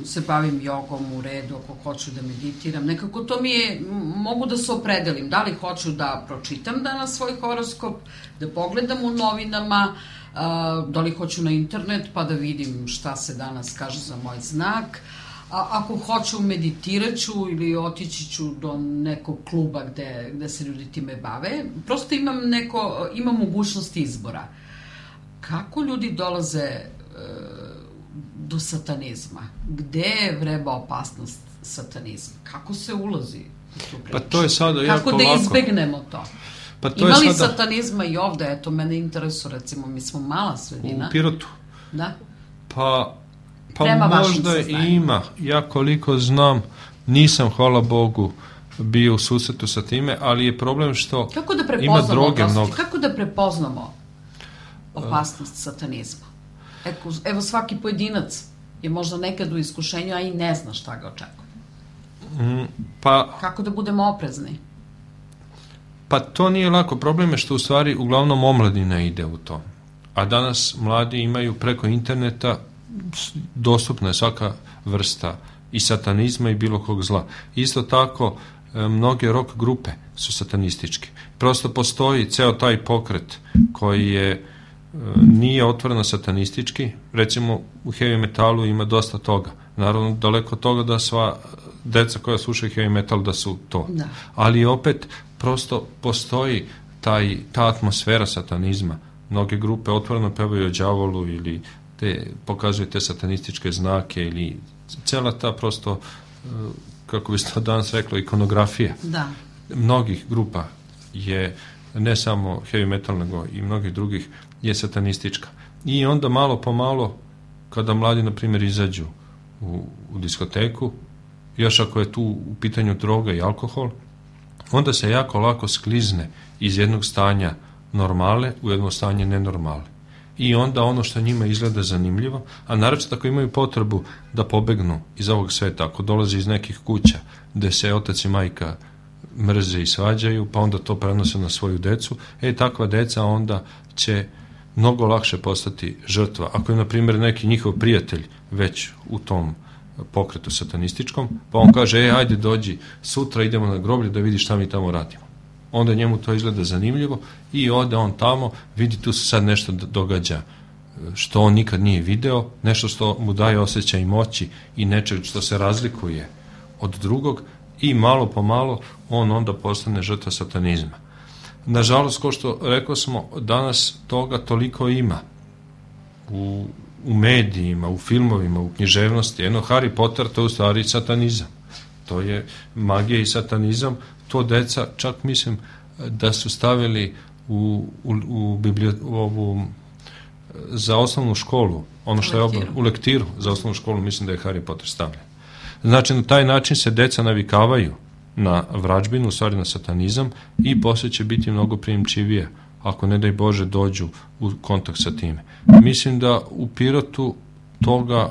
se bavim jogom, u redu, ako hoću da meditiram, nekako to mi je, mogu da se opredelim, da li hoću da pročitam danas svoj horoskop, da pogledam u novinama, da li hoću na internet pa da vidim šta se danas kaže za moj znak, ako hoću meditirat ću ili otići ću do nekog kluba gde se ljudi time bave, prosto imam mogućnost izbora. Kako ljudi dolaze do satanizma? Gde vreba opasnost satanizma? Kako se ulazi u tu priču? Pa to je sada jako Kako da lako. izbegnemo to? Pa to Ima li je sada satanizma i ovde? Eto, mene interesuje, recimo, mi smo mala sredina. u Pirotu. Da? Pa Prema vašim možda saznanjima. ima. Ja koliko znam, nisam, hvala Bogu, bio u susretu sa time, ali je problem što Kako da ima prepoznamo, droge mnogo. kako da prepoznamo opasnost satanizma? Evo svaki pojedinac je možda nekad u iskušenju, a i ne zna šta ga očekuje. Pa Kako da budemo oprezni? Pa to nije lako. Problem je što u stvari uglavnom omladina ide u to. A danas mladi imaju preko interneta, dostupna je svaka vrsta i satanizma i bilo kog zla. Isto tako, mnoge rock grupe su satanističke. Prosto postoji ceo taj pokret koji je nije otvoreno satanistički. Recimo u heavy metalu ima dosta toga. Naravno, daleko od toga da sva deca koja slušaju heavy metal da su to. Da. Ali opet prosto postoji ta atmosfera satanizma. Mnoge grupe otvoreno pevaju o đavolu ili pokazuju te satanističke znake ili cela ta prosto, kako bi se to danas reklo, ikonografija. Da. Mnogih grupa je, ne samo heavy metal, nego i mnogih drugih, je satanistička. I onda malo po malo, kada mladi, na primjer, izađu u diskoteku, još ako je tu u pitanju droga i alkohol, onda se jako lako sklizne iz jednog stanja normale u jedno stanje nenormale. I onda ono što njima izgleda zanimljivo, a naročito ako imaju potrebu da pobegnu iz ovog sveta, ako dolaze iz nekih kuća gde se otac i majka mrze i svađaju, pa onda to prenose na svoju decu, takva deca onda će mnogo lakše postati žrtva. Ako je, na primjer, neki njihov prijatelj već u tom pokretu satanističkom, pa on kaže, ajde dođi, sutra idemo na groblje da vidi šta mi tamo radimo. Onda njemu to izgleda zanimljivo i ode on tamo, vidi tu se sad nešto događa što on nikad nije video, nešto što mu daje osjećaj moći i nečeg što se razlikuje od drugog i malo po malo on onda postane žrtva satanizma. Nažalost, kao što rekao smo, danas toga toliko ima u medijima, u filmovima, u književnosti. Harry Potter, to je u stvari satanizam. To je magija i satanizam. To deca, čak mislim da su stavili za osnovnu školu, ono što je u lektiru za osnovnu školu, mislim da je Harry Potter stavljen. Znači, na taj način se deca navikavaju na vražbinu, u stvari na satanizam, i posle će biti mnogo prijemčivije ako, ne daj Bože, dođu u kontakt sa time. Mislim da u Pirotu toga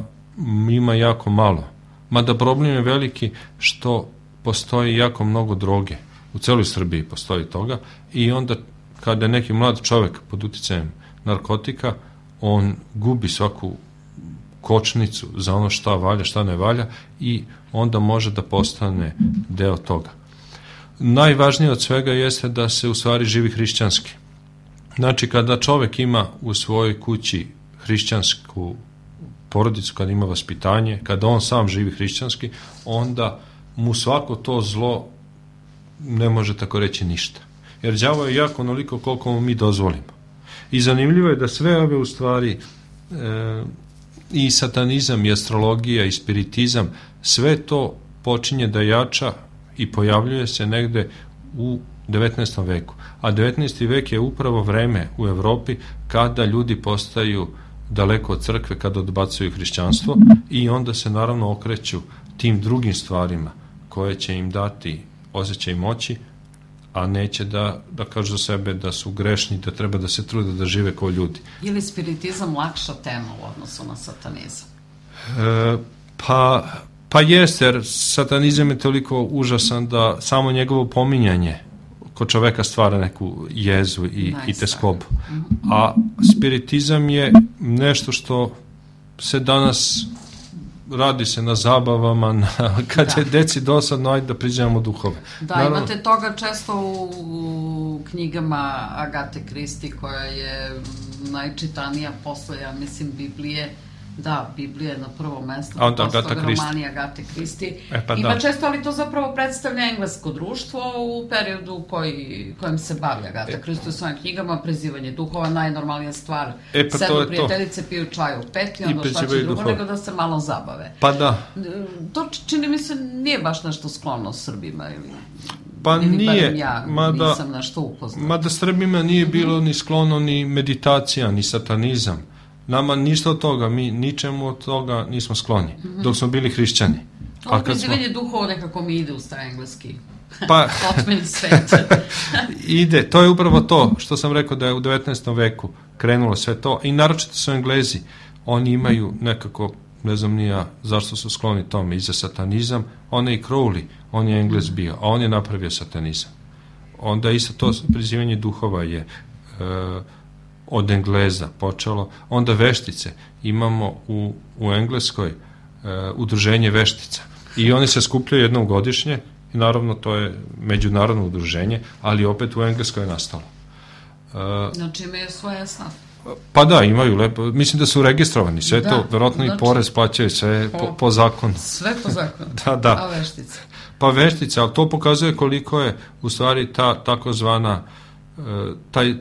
ima jako malo. Mada problem je veliki što postoji jako mnogo droge. U celoj Srbiji postoji toga i onda kada je neki mlad čovek pod uticajem narkotika, on gubi svaku kočnicu za ono šta valja, šta ne valja i onda može da postane deo toga. Najvažnije od svega jeste da se u stvari živi hrišćanski. Znači, kada čovek ima u svojoj kući hrišćansku porodicu, kada ima vaspitanje, kada on sam živi hrišćanski, onda mu svako to zlo ne može tako reći ništa. Jer đavo je jako onoliko koliko mu mi dozvolimo. I zanimljivo je da sve ove u stvari i satanizam, i astrologija, i spiritizam, sve to počinje da jača i pojavljuje se negde u 19. veku. A 19. vek je upravo vreme u Evropi kada ljudi postaju daleko od crkve, kada odbacuju hrišćanstvo i onda se naravno okreću tim drugim stvarima koje će im dati osjećaj moći, a neće da kažu za sebe da su grešni, da treba da se trude da žive kao ljudi. Je li spiritizam lakša tema u odnosu na satanizam? Pa jeste, jer satanizam je toliko užasan da samo njegovo pominjanje kod čoveka stvara neku jezu i teskobu. A spiritizam je nešto što se danas radi se na zabavama, kad je deci dosadno, ajde da priđemo duhove. Da, naravno, imate toga često u knjigama Agate Kristi, koja je najčitanija posle, ja mislim, Biblije, Da, Biblija je na prvom mestu, a onda posle Agata toga Kristi. romani Agate Kristi. Pa Ima da. često, ali to zapravo predstavlja englesko društvo u periodu kojem se bavi Agata Kristi u svojim knjigama, prizivanje duhova, najnormalnija stvar. Pa Sednu to je prijateljice, piju čaj u peti, onda šta će prizivaju drugo duhove. nego da se malo zabave. Pa da. To čini mi se nije baš nešto sklono Srbima ili... Pa ili nije, barem ja nisam nešto upoznat. mada Srbima nije bilo ni sklono ni meditacija, ni satanizam. Nama ništa od toga, mi ničemu od toga nismo skloni, dok smo bili hrišćani. Ovo prizivanje duhova nekako mi ide u engleski. Pa, Otmeni svet. ide, to je upravo to što sam rekao da je u 19. veku krenulo sve to i naročito su Englezi, oni imaju nekako, ne znam ni ja zašto su skloni tome, i za satanizam, onaj i Crowley, on je Englez bio, a on je napravio satanizam. Onda isto to prizivanje duhova je od Engleza počelo, onda veštice, imamo u Engleskoj udruženje veštica i oni se skupljaju jednom godišnje i naravno to je međunarodno udruženje, ali opet u Engleskoj je nastalo. Znači imaju svoje snaf. Pa da, imaju lepo, mislim da su registrovani, sve Da, to, verovatno znači, i porez plaćaju, sve po zakonu. Sve po zakonu. Da. A veštice? Pa veštice, ali to pokazuje koliko je u stvari taj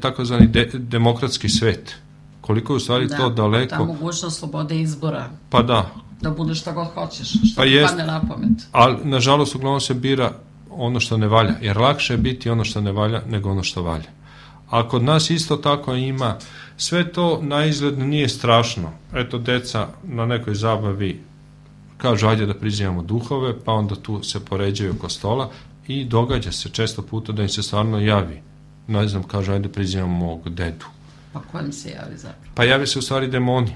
takozvani demokratski svet, koliko je u stvari to daleko. Ta mogućnost slobode izbora. Pa da. Da budeš šta god hoćeš, što ti padne na pamet. Ali, nažalost, uglavnom se bira ono što ne valja, jer lakše je biti ono što ne valja nego ono što valja. A kod nas isto tako ima, sve to na izgled nije strašno. Eto, deca na nekoj zabavi kažu, ajde da prizivamo duhove, pa onda tu se poređaju oko stola i događa se često puta da im se stvarno javi. Ne znam, kažu, ajde prizivamo mog dedu. Pa kojem se javi zapravo? Pa javi se u stvari demoni.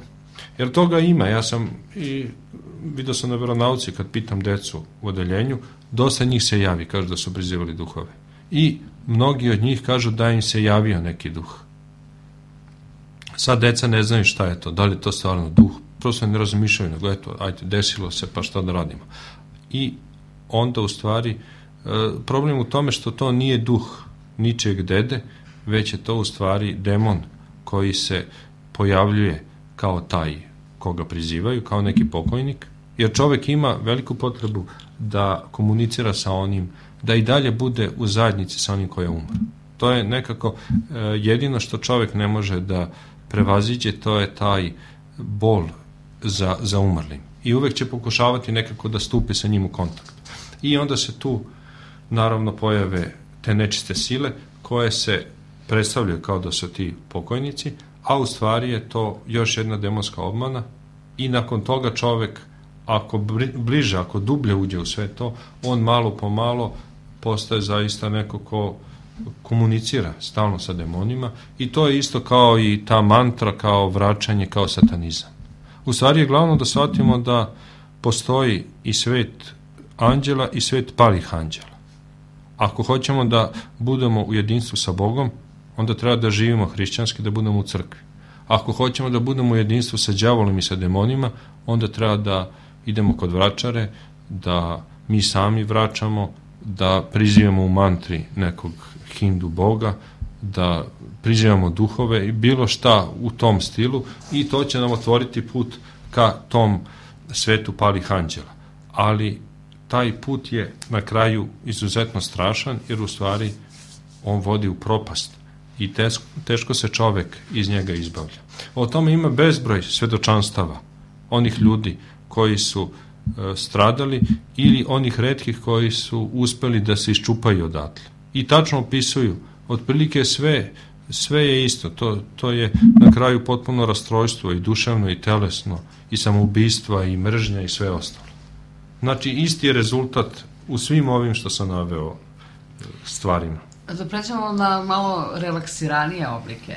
Jer toga ima, ja sam i vidio sam na veronauci kad pitam decu u odeljenju, dosta njih se javi, kažu da su prizivali duhove. I mnogi od njih kažu da im se javio neki duh. Sad deca ne znaju šta je to, da li je to stvarno duh, prosto ne razmišljaju, nego eto, ajde, desilo se, pa šta da radimo. I onda u stvari problem u tome što to nije duh ničeg dede, već je to u stvari demon koji se pojavljuje kao taj koga prizivaju, kao neki pokojnik, jer čovek ima veliku potrebu da komunicira sa onim, da i dalje bude u zajednici sa onim koji je umr. To je nekako jedino što čovek ne može da prevaziđe, to je taj bol za umrlim. I uvek će pokušavati nekako da stupi sa njim u kontakt. I onda se tu naravno pojave te nečiste sile koje se predstavljaju kao da su ti pokojnici, a u stvari je to još jedna demonska obmana i nakon toga čovek, ako bliže, ako dublje uđe u sve to, on malo po malo postaje zaista neko ko komunicira stalno sa demonima i to je isto kao i ta mantra, kao vraćanje, kao satanizam. U stvari je glavno da shvatimo da postoji i svet anđela i svet palih anđela. Ako hoćemo da budemo u jedinstvu sa Bogom, onda treba da živimo hrišćanski, da budemo u crkvi. Ako hoćemo da budemo u jedinstvu sa đavolom i sa demonima, onda treba da idemo kod vračare, da mi sami vraćamo, da prizivamo u mantri nekog hindu boga, da prizivamo duhove i bilo šta u tom stilu i to će nam otvoriti put ka tom svetu palih anđela. Ali taj put je na kraju izuzetno strašan jer u stvari on vodi u propast i teško se čovek iz njega izbavlja. O tome ima bezbroj svedočanstava onih ljudi koji su stradali ili onih retkih koji su uspeli da se iščupaju odatle. I tačno opisuju, otprilike sve je isto, to je na kraju potpuno rastrojstvo i duševno i telesno i samoubistva i mržnja i sve ostalo. Znači isti je rezultat u svim ovim što sam naveo stvarima. Da pređemo na malo relaksiranije oblike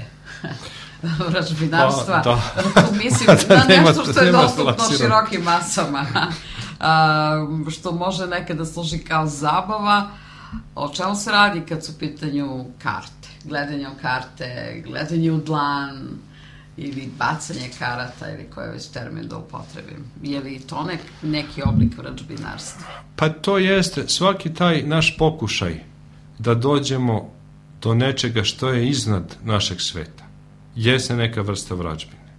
vražbinarstva. Mislim da nešto što je dostupno širokim masama, što može nekada služi kao zabava. O čemu se radi kad su u pitanju karte? Gledanje u karte, gledanje u dlan ili bacanje karata ili koji je već termin da upotrebim. Je li to neki oblik vražbinarstva? Pa to jeste. Svaki taj naš pokušaj da dođemo do nečega što je iznad našeg sveta jeste neka vrsta vražbine.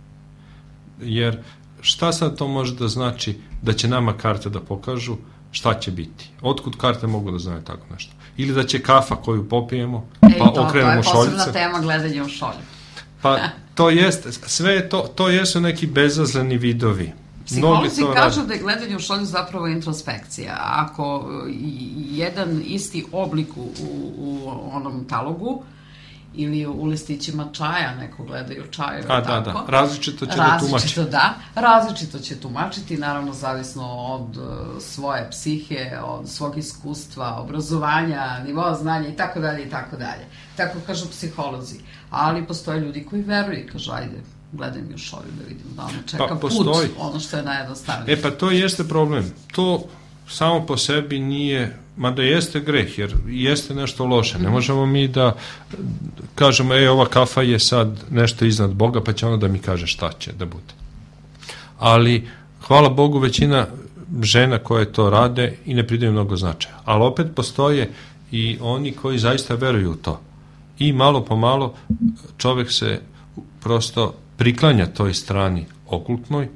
Jer šta sad to može da znači da će nama karte da pokažu šta će biti? Otkud karte mogu da znaju tako nešto? Ili da će kafa koju popijemo, pa okrenemo šoljice? To je posebna tema, gledanje u šolju. Pa to jeste, sve je to jesu neki bezazleni vidovi. Psiholozi kažu da je gledanje u šolju zapravo introspekcija. Ako jedan isti oblik u onom talogu ili u listićima čaja, neko gledaju čaju, tako. Da, različito će da tumači. Različito će tumačiti, naravno zavisno od svoje psihe, od svog iskustva, obrazovanja, nivoa znanja i tako dalje i tako dalje. Tako kažu psiholozi. Ali postoje ljudi koji veruju i kažu, ajde, gledaj mi u šolju da vidim da ono čeka put, ono što je najjednostavnije. Pa to jeste problem. To samo po sebi nije, mada jeste greh, jer jeste nešto loše. Ne možemo mi da kažemo, ova kafa je sad nešto iznad Boga, pa će ono da mi kaže šta će da bude. Ali, hvala Bogu, većina žena koje to rade i ne pridaju mnogo značaja. Ali opet postoje i oni koji zaista veruju u to. I malo po malo čovek se prosto priklanja toj strani okultnoj,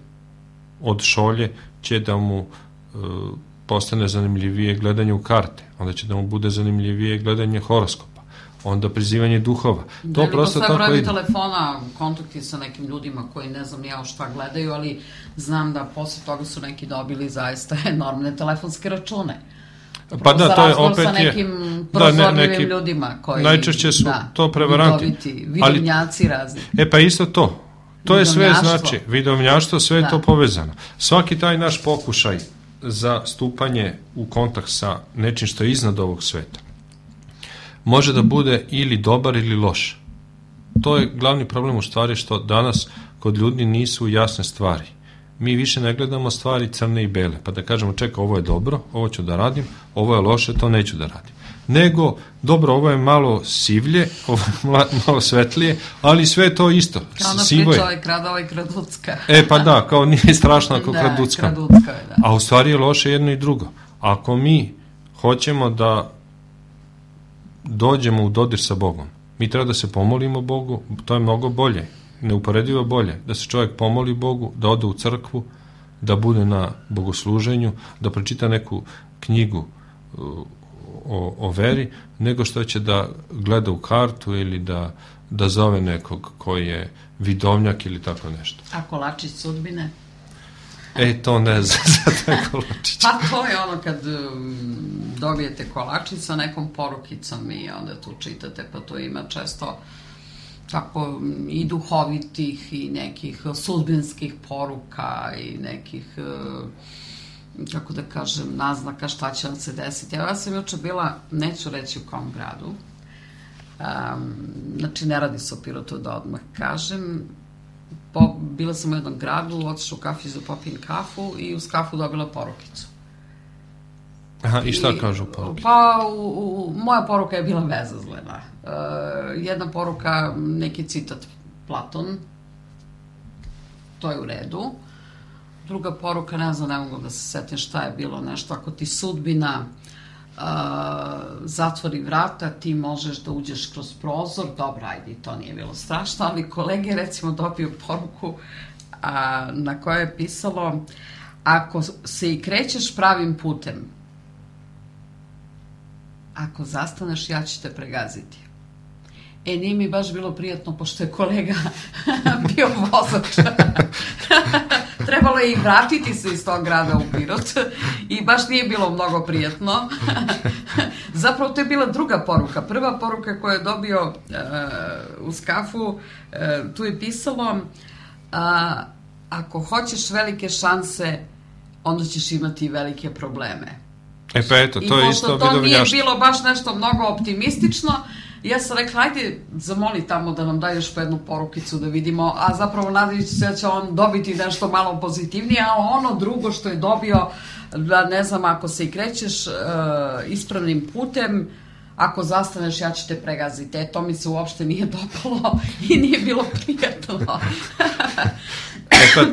od šolje će da mu postane zanimljivije gledanje u karte, onda će da mu bude zanimljivije gledanje horoskopa, onda prizivanje duhova. To prosto tako brojevi telefona, kontakti sa nekim ljudima koji ne znam nijao šta gledaju, ali znam da posle toga su neki dobili zaista enormne telefonske račune. Pa da, to je opet sa nekim prozorljivim ljudima koji... Najčešće su to prevaranti. Vidovnjaci razni. Pa isto to. To je sve znači, vidovnjaštvo, sve je to povezano. Svaki taj naš pokušaj za stupanje u kontakt sa nečim što je iznad ovog sveta može da bude ili dobar ili loš. To je glavni problem u stvari što danas kod ljudi nisu jasne stvari. Mi više ne gledamo stvari crne i bele, pa da kažemo čeka, ovo je dobro, ovo ću da radim, ovo je loše, to neću da radim. Nego, dobro, ovo je malo sivlje, ovo je malo svetlije, ali sve je to isto. Kao ona priča ovaj krada, ovaj kraducka. Pa da, kao nije strašno ako kraducka. Kraducka je, da. A u stvari je loše jedno i drugo. Ako mi hoćemo da dođemo u dodir sa Bogom, mi treba da se pomolimo Bogu, to je mnogo bolje, neuporedivo bolje, da se čovjek pomoli Bogu, da ode u crkvu, da bude na bogosluženju, da pročita neku knjigu o veri, nego što će da gleda u kartu ili da zove nekog koji je vidovnjak ili tako nešto. A kolačić sudbine? To ne znam za taj kolačić. Pa to je ono kad dobijete kolačić sa nekom porukicom i onda tu čitate, pa to ima često tako i duhovitih i nekih sudbinskih poruka i nekih, kako da kažem, naznaka šta će vam se desiti. Ja sam juče bila, neću reći u kom gradu, znači ne radi se o Pirotu da odmah kažem, bila sam u jednom gradu, otišla u kafić da popijem kafu i uz kafu dobila porukicu. I šta kažu poruke? Pa, moja poruka je bila bezazlena. Jedna poruka, neki citat Platon, to je u redu. Druga poruka, ne znam, ne mogu da se setim šta je bilo, nešto, ako ti sudbina zatvori vrata, ti možeš da uđeš kroz prozor, dobro, ajde, to nije bilo strašno, ali kolege, recimo, dobiju poruku na kojoj je pisalo, ako se i krećeš pravim putem, ako zastaneš, ja ću te pregaziti. Nije mi baš bilo prijatno, pošto je kolega bio vozač. Trebalo je i vratiti se iz tog grada u Pirot i baš nije bilo mnogo prijatno. Zapravo to je bila druga poruka. Prva poruka koju je dobio uz kafu, tu je pisalo, ako hoćeš velike šanse, onda ćeš imati velike probleme. Pa eto, to je isto vidovnjaštvo. I pošto to nije bilo baš nešto mnogo optimistično, ja sam rekla, ajde, zamoli tamo da nam daj još po jednu porukicu da vidimo, a zapravo nadajući se da će on dobiti nešto malo pozitivnije, a ono drugo što je dobio, da ne znam, ako se i krećeš ispravnim putem, ako zastaneš, ja ću te pregaziti. To mi se uopšte nije dopalo i nije bilo prijatno.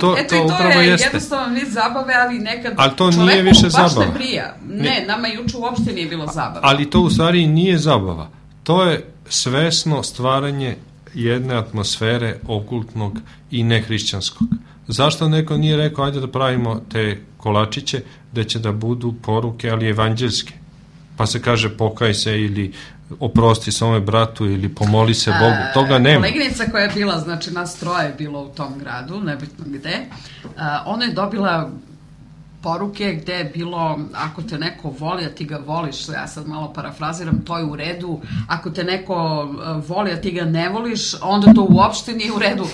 To upravo jeste. Jednostavno vid zabave, ali nekad čoveku baš ne prija. Ne, nama juče uopšte nije bilo zabave. Ali to u stvari nije zabava. To je svesno stvaranje jedne atmosfere okultnog i nehrišćanskog. Zašto neko nije rekao ajde da pravimo te kolačiće da će da budu poruke, ali evanđelske? Pa se kaže pokaj se ili oprosti svome bratu ili pomoli se Bogu. Toga nema. Koleginica koja je bila, znači nas troje je bilo u tom gradu, nebitno gde, ona je dobila poruke gde je bilo ako te neko voli, a ti ga voliš, ja sad malo parafraziram, to je u redu, ako te neko voli, a ti ga ne voliš, onda to uopšte nije u redu.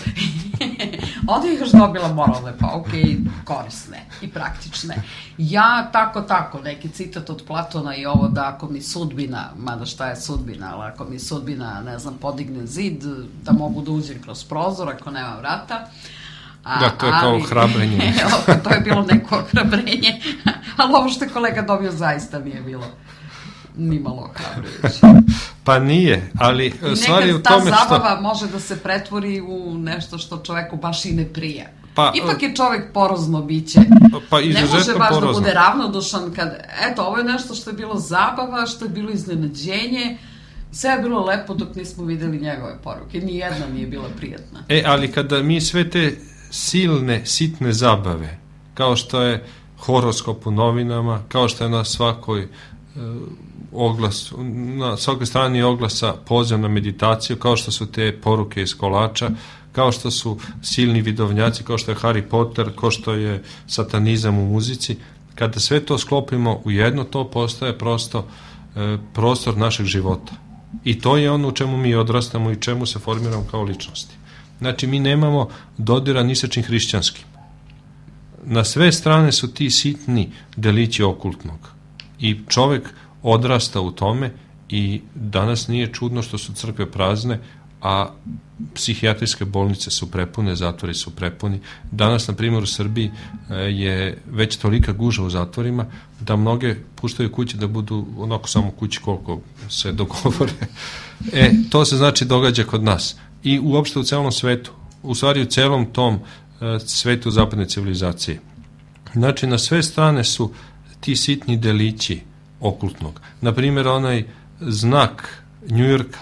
Onda je još dobila moralne pauke i korisne i praktične. Ja tako, neki citat od Platona i ovo da ako mi sudbina, mada šta je sudbina, ali ako mi sudbina, ne znam, podigne zid, da mogu da uđem kroz prozor ako nema vrata. Da, to je kao ohrabrenje. To je bilo neko ohrabrenje, ali ovo što je kolega dobio zaista nije bilo nimalo ohrabrujuće. Pa nije, ali stvar je u tome što... Nekad ta zabava može da se pretvori u nešto što čoveku baš i ne prija. Ipak je čovek porozno biće. Pa izuzetno porozno. Ne može baš da bude ravnodušan kad, eto, ovo je nešto što je bilo zabava, što je bilo iznenađenje, sve je bilo lepo dok nismo videli njegove poruke. Nijedna nije bila prijatna. Ali kada mi sve te silne, sitne zabave, kao što je horoskop u novinama, kao što je na svakoj na svakoj strani oglasa poziv na meditaciju, kao što su te poruke iz kolača, kao što su silni vidovnjaci, kao što je Harry Potter, kao što je satanizam u muzici, kada sve to sklopimo u jedno, to postaje prosto prostor našeg života. I to je ono u čemu mi odrastamo i čemu se formiramo kao ličnosti. Znači, mi nemamo dodira ni sa čim hrišćanskim. Na sve strane su ti sitni delići okultnog. I čovek odrasta u tome i danas nije čudno što su crkve prazne, a psihijatrijske bolnice su prepune, zatvori su prepuni. Danas, na primjer, u Srbiji je već tolika guža u zatvorima da mnoge puštaju kuće da budu onako samo kući koliko se dogovore. To se znači događa kod nas. I uopšte u celom svetu, u stvari u celom tom svetu zapadne civilizacije. Znači, na sve strane su ti sitni delići okultnog. Naprimjer, onaj znak Njujorka,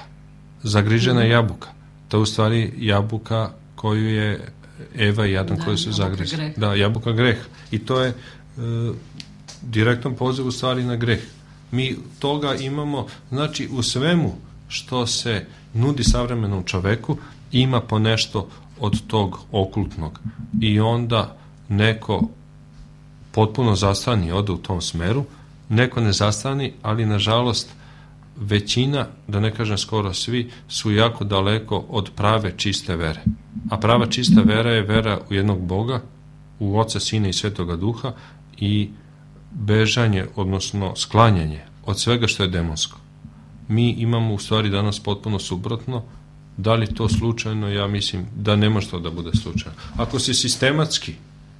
zagrižena jabuka. To je u stvari jabuka koju je Eva i Adam koji su zagrizli. Da, jabuka greh. I to je direktan poziv u stvari na greh. Mi toga imamo, znači u svemu što se nudi savremenom čoveku ima po nešto od tog okultnog. I onda neko potpuno zastani, ode u tom smeru, neko ne zastani, ali nažalost većina, da ne kažem skoro svi, su jako daleko od prave čiste vere. A prava čista vera je vera u jednog Boga, u Oca, Sina i Svetoga Duha i bežanje, odnosno sklanjanje od svega što je demonsko. Mi imamo u stvari danas potpuno suprotno. Da li to slučajno? Ja mislim da ne može to da bude slučajno. Ako se sistematski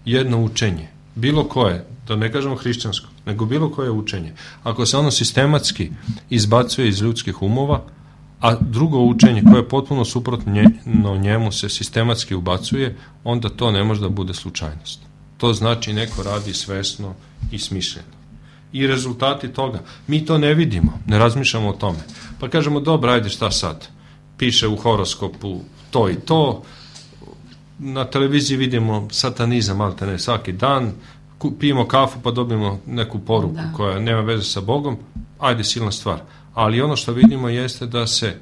jedno učenje, bilo koje, da ne kažemo hrišćansko, nego bilo koje učenje, ako se ono sistematski izbacuje iz ljudskih umova, a drugo učenje koje je potpuno suprotno njemu se sistematski ubacuje, onda to ne može da bude slučajnost. To znači neko radi svesno i smišljeno. I rezultati toga, mi to ne vidimo, ne razmišljamo o tome. Pa kažemo, dobro, ajde, šta sad? Piše u horoskopu to i to, na televiziji vidimo satanizam, malte ne, svaki dan, pijemo kafu pa dobijemo neku poruku koja nema veze sa Bogom, ajde, silna stvar. Ali ono što vidimo jeste da se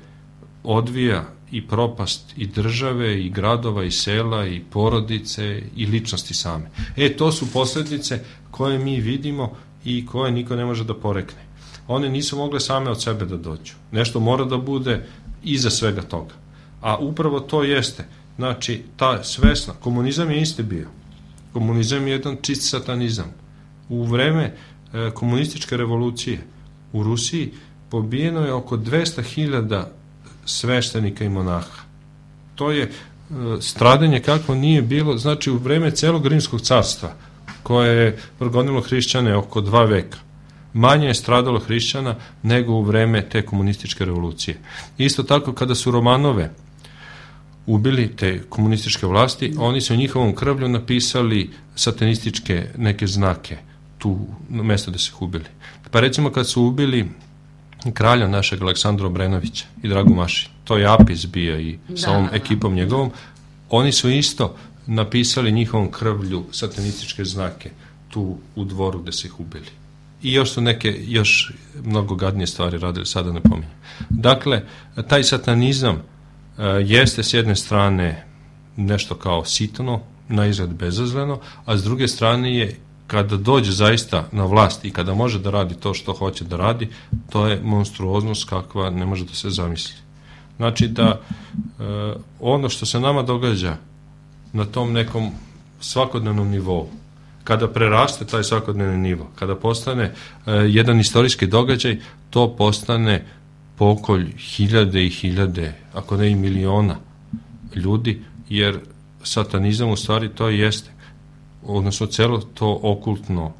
odvija i propast i države, i gradova, i sela, i porodice, i ličnosti same. To su posljedice koje mi vidimo i koje niko ne može da porekne. One nisu mogle same od sebe da dođu. Nešto mora da bude iza svega toga. A upravo to jeste. Znači, ta svesna, komunizam je isti bio. Komunizam je jedan čist satanizam. U vreme komunističke revolucije u Rusiji pobijeno je oko 200.000 sveštenika i monaha. To je stradanje kakvo nije bilo, znači u vreme celog Rimskog carstva, koje je progonilo hrišćane oko 2 veka. Manje je stradalo hrišćana nego u vreme te komunističke revolucije. Isto tako, kada su Romanove ubili te komunističke vlasti, oni su u njihovom krvlju napisali satanističke neke znake tu na mesto da se ubili. Pa recimo kad su ubili kralja našeg Aleksandra Obrenovića i Dragu Maši, to je Apis bio i sa ovom ekipom njegovom, oni su isto napisali njihovom krvlju satanističke znake tu u dvoru gde se ih ubili. I još su neke, još mnogo gadnije stvari radili, sada ne pominjem. Dakle, taj satanizam jeste s jedne strane nešto kao sitno, na izgled bezazleno, a s druge strane je, kada dođe zaista na vlast i kada može da radi to što hoće da radi, to je monstruoznost kakva ne može da se zamisli. Znači da ono što se nama događa na tom nekom svakodnevnom nivou, kada preraste taj svakodnevni nivo, kada postane jedan istorijski događaj, to postane pokolj hiljade i hiljade, ako ne i miliona ljudi, jer satanizam u stvari to jeste, odnosno celo to okultno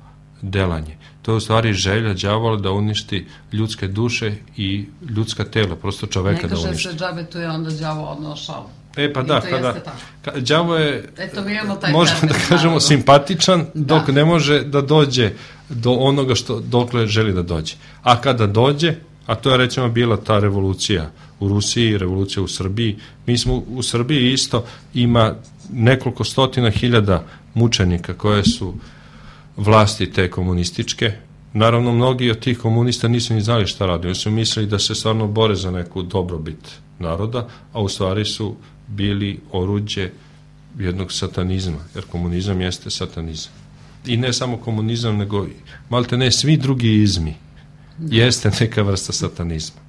delanje. To je u stvari želja đavola da uništi ljudske duše i ljudska tela, prosto čoveka da uništi. Ne kaže se džabe, tu je onda đavo odnao šalu. Pa da, đavo je, možemo da kažemo, narodu simpatičan, dok ne može da dođe do onoga dokle želi da dođe. A kada dođe, a to je recimo bila ta revolucija u Rusiji, revolucija u Srbiji, mi smo u Srbiji isto, ima nekoliko stotina hiljada mučenika koje su vlasti te komunističke. Naravno, mnogi od tih komunista nisu ni znali šta radi, oni su mislili da se stvarno bore za neku dobrobit naroda, a u stvari su bili oruđe jednog satanizma, jer komunizam jeste satanizam. I ne samo komunizam, nego malte ne svi drugi izmi jeste neka vrsta satanizma.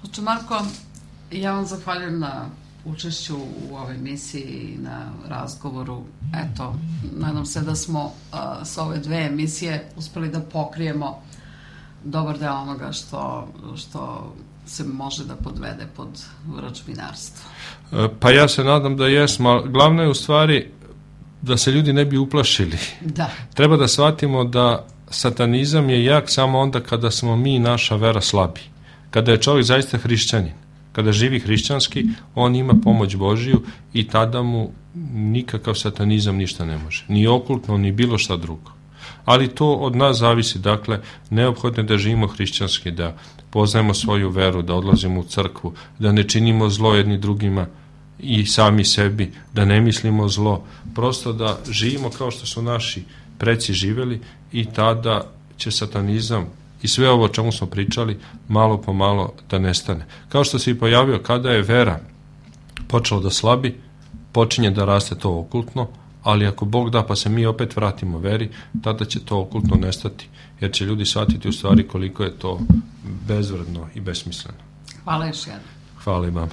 Oče Marko, ja vam zahvaljujem na učešću u ovoj emisiji i na razgovoru. Eto, nadam se da smo sa ove dve emisije uspeli da pokrijemo dobar deo onoga što se može da podvede pod vračbinarstvo. Pa ja se nadam da jesmo, ali glavno je u stvari da se ljudi ne bi uplašili. Da. Treba da shvatimo da satanizam je jak samo onda kada smo mi, naša vera, slabi. Kada je čovjek zaista hrišćanin, kada živi hrišćanski, on ima pomoć Božiju i tada mu nikakav satanizam ništa ne može. Ni okultno, ni bilo šta drugo. Ali to od nas zavisi, dakle, neophodno je da živimo hrišćanski, da poznajemo svoju veru, da odlazimo u crkvu, da ne činimo zlo jedni drugima i sami sebi, da ne mislimo zlo, prosto da živimo kao što su naši preci živeli i tada će satanizam i sve ovo o čemu smo pričali malo po malo da nestane. Kao što se i pojavio, kada je vera počela da slabi, počinje da raste to okultno, ali ako Bog da pa se mi opet vratimo veri, tada će to okultno nestati, jer će ljudi shvatiti u stvari koliko je to bezvredno i besmisleno. Hvala još jednom. Hvala i vama.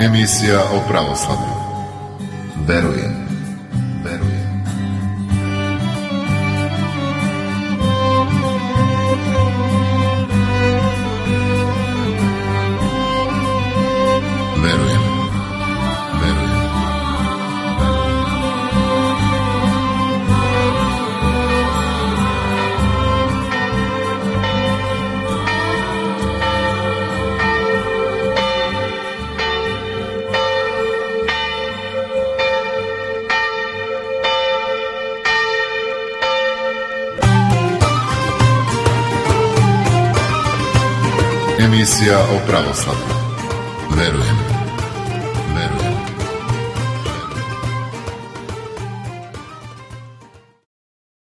Emisija o pravoslavlju. Verujem. Verujem. Verujem. Verujem. Emisija o pravoslavlju. Verujem.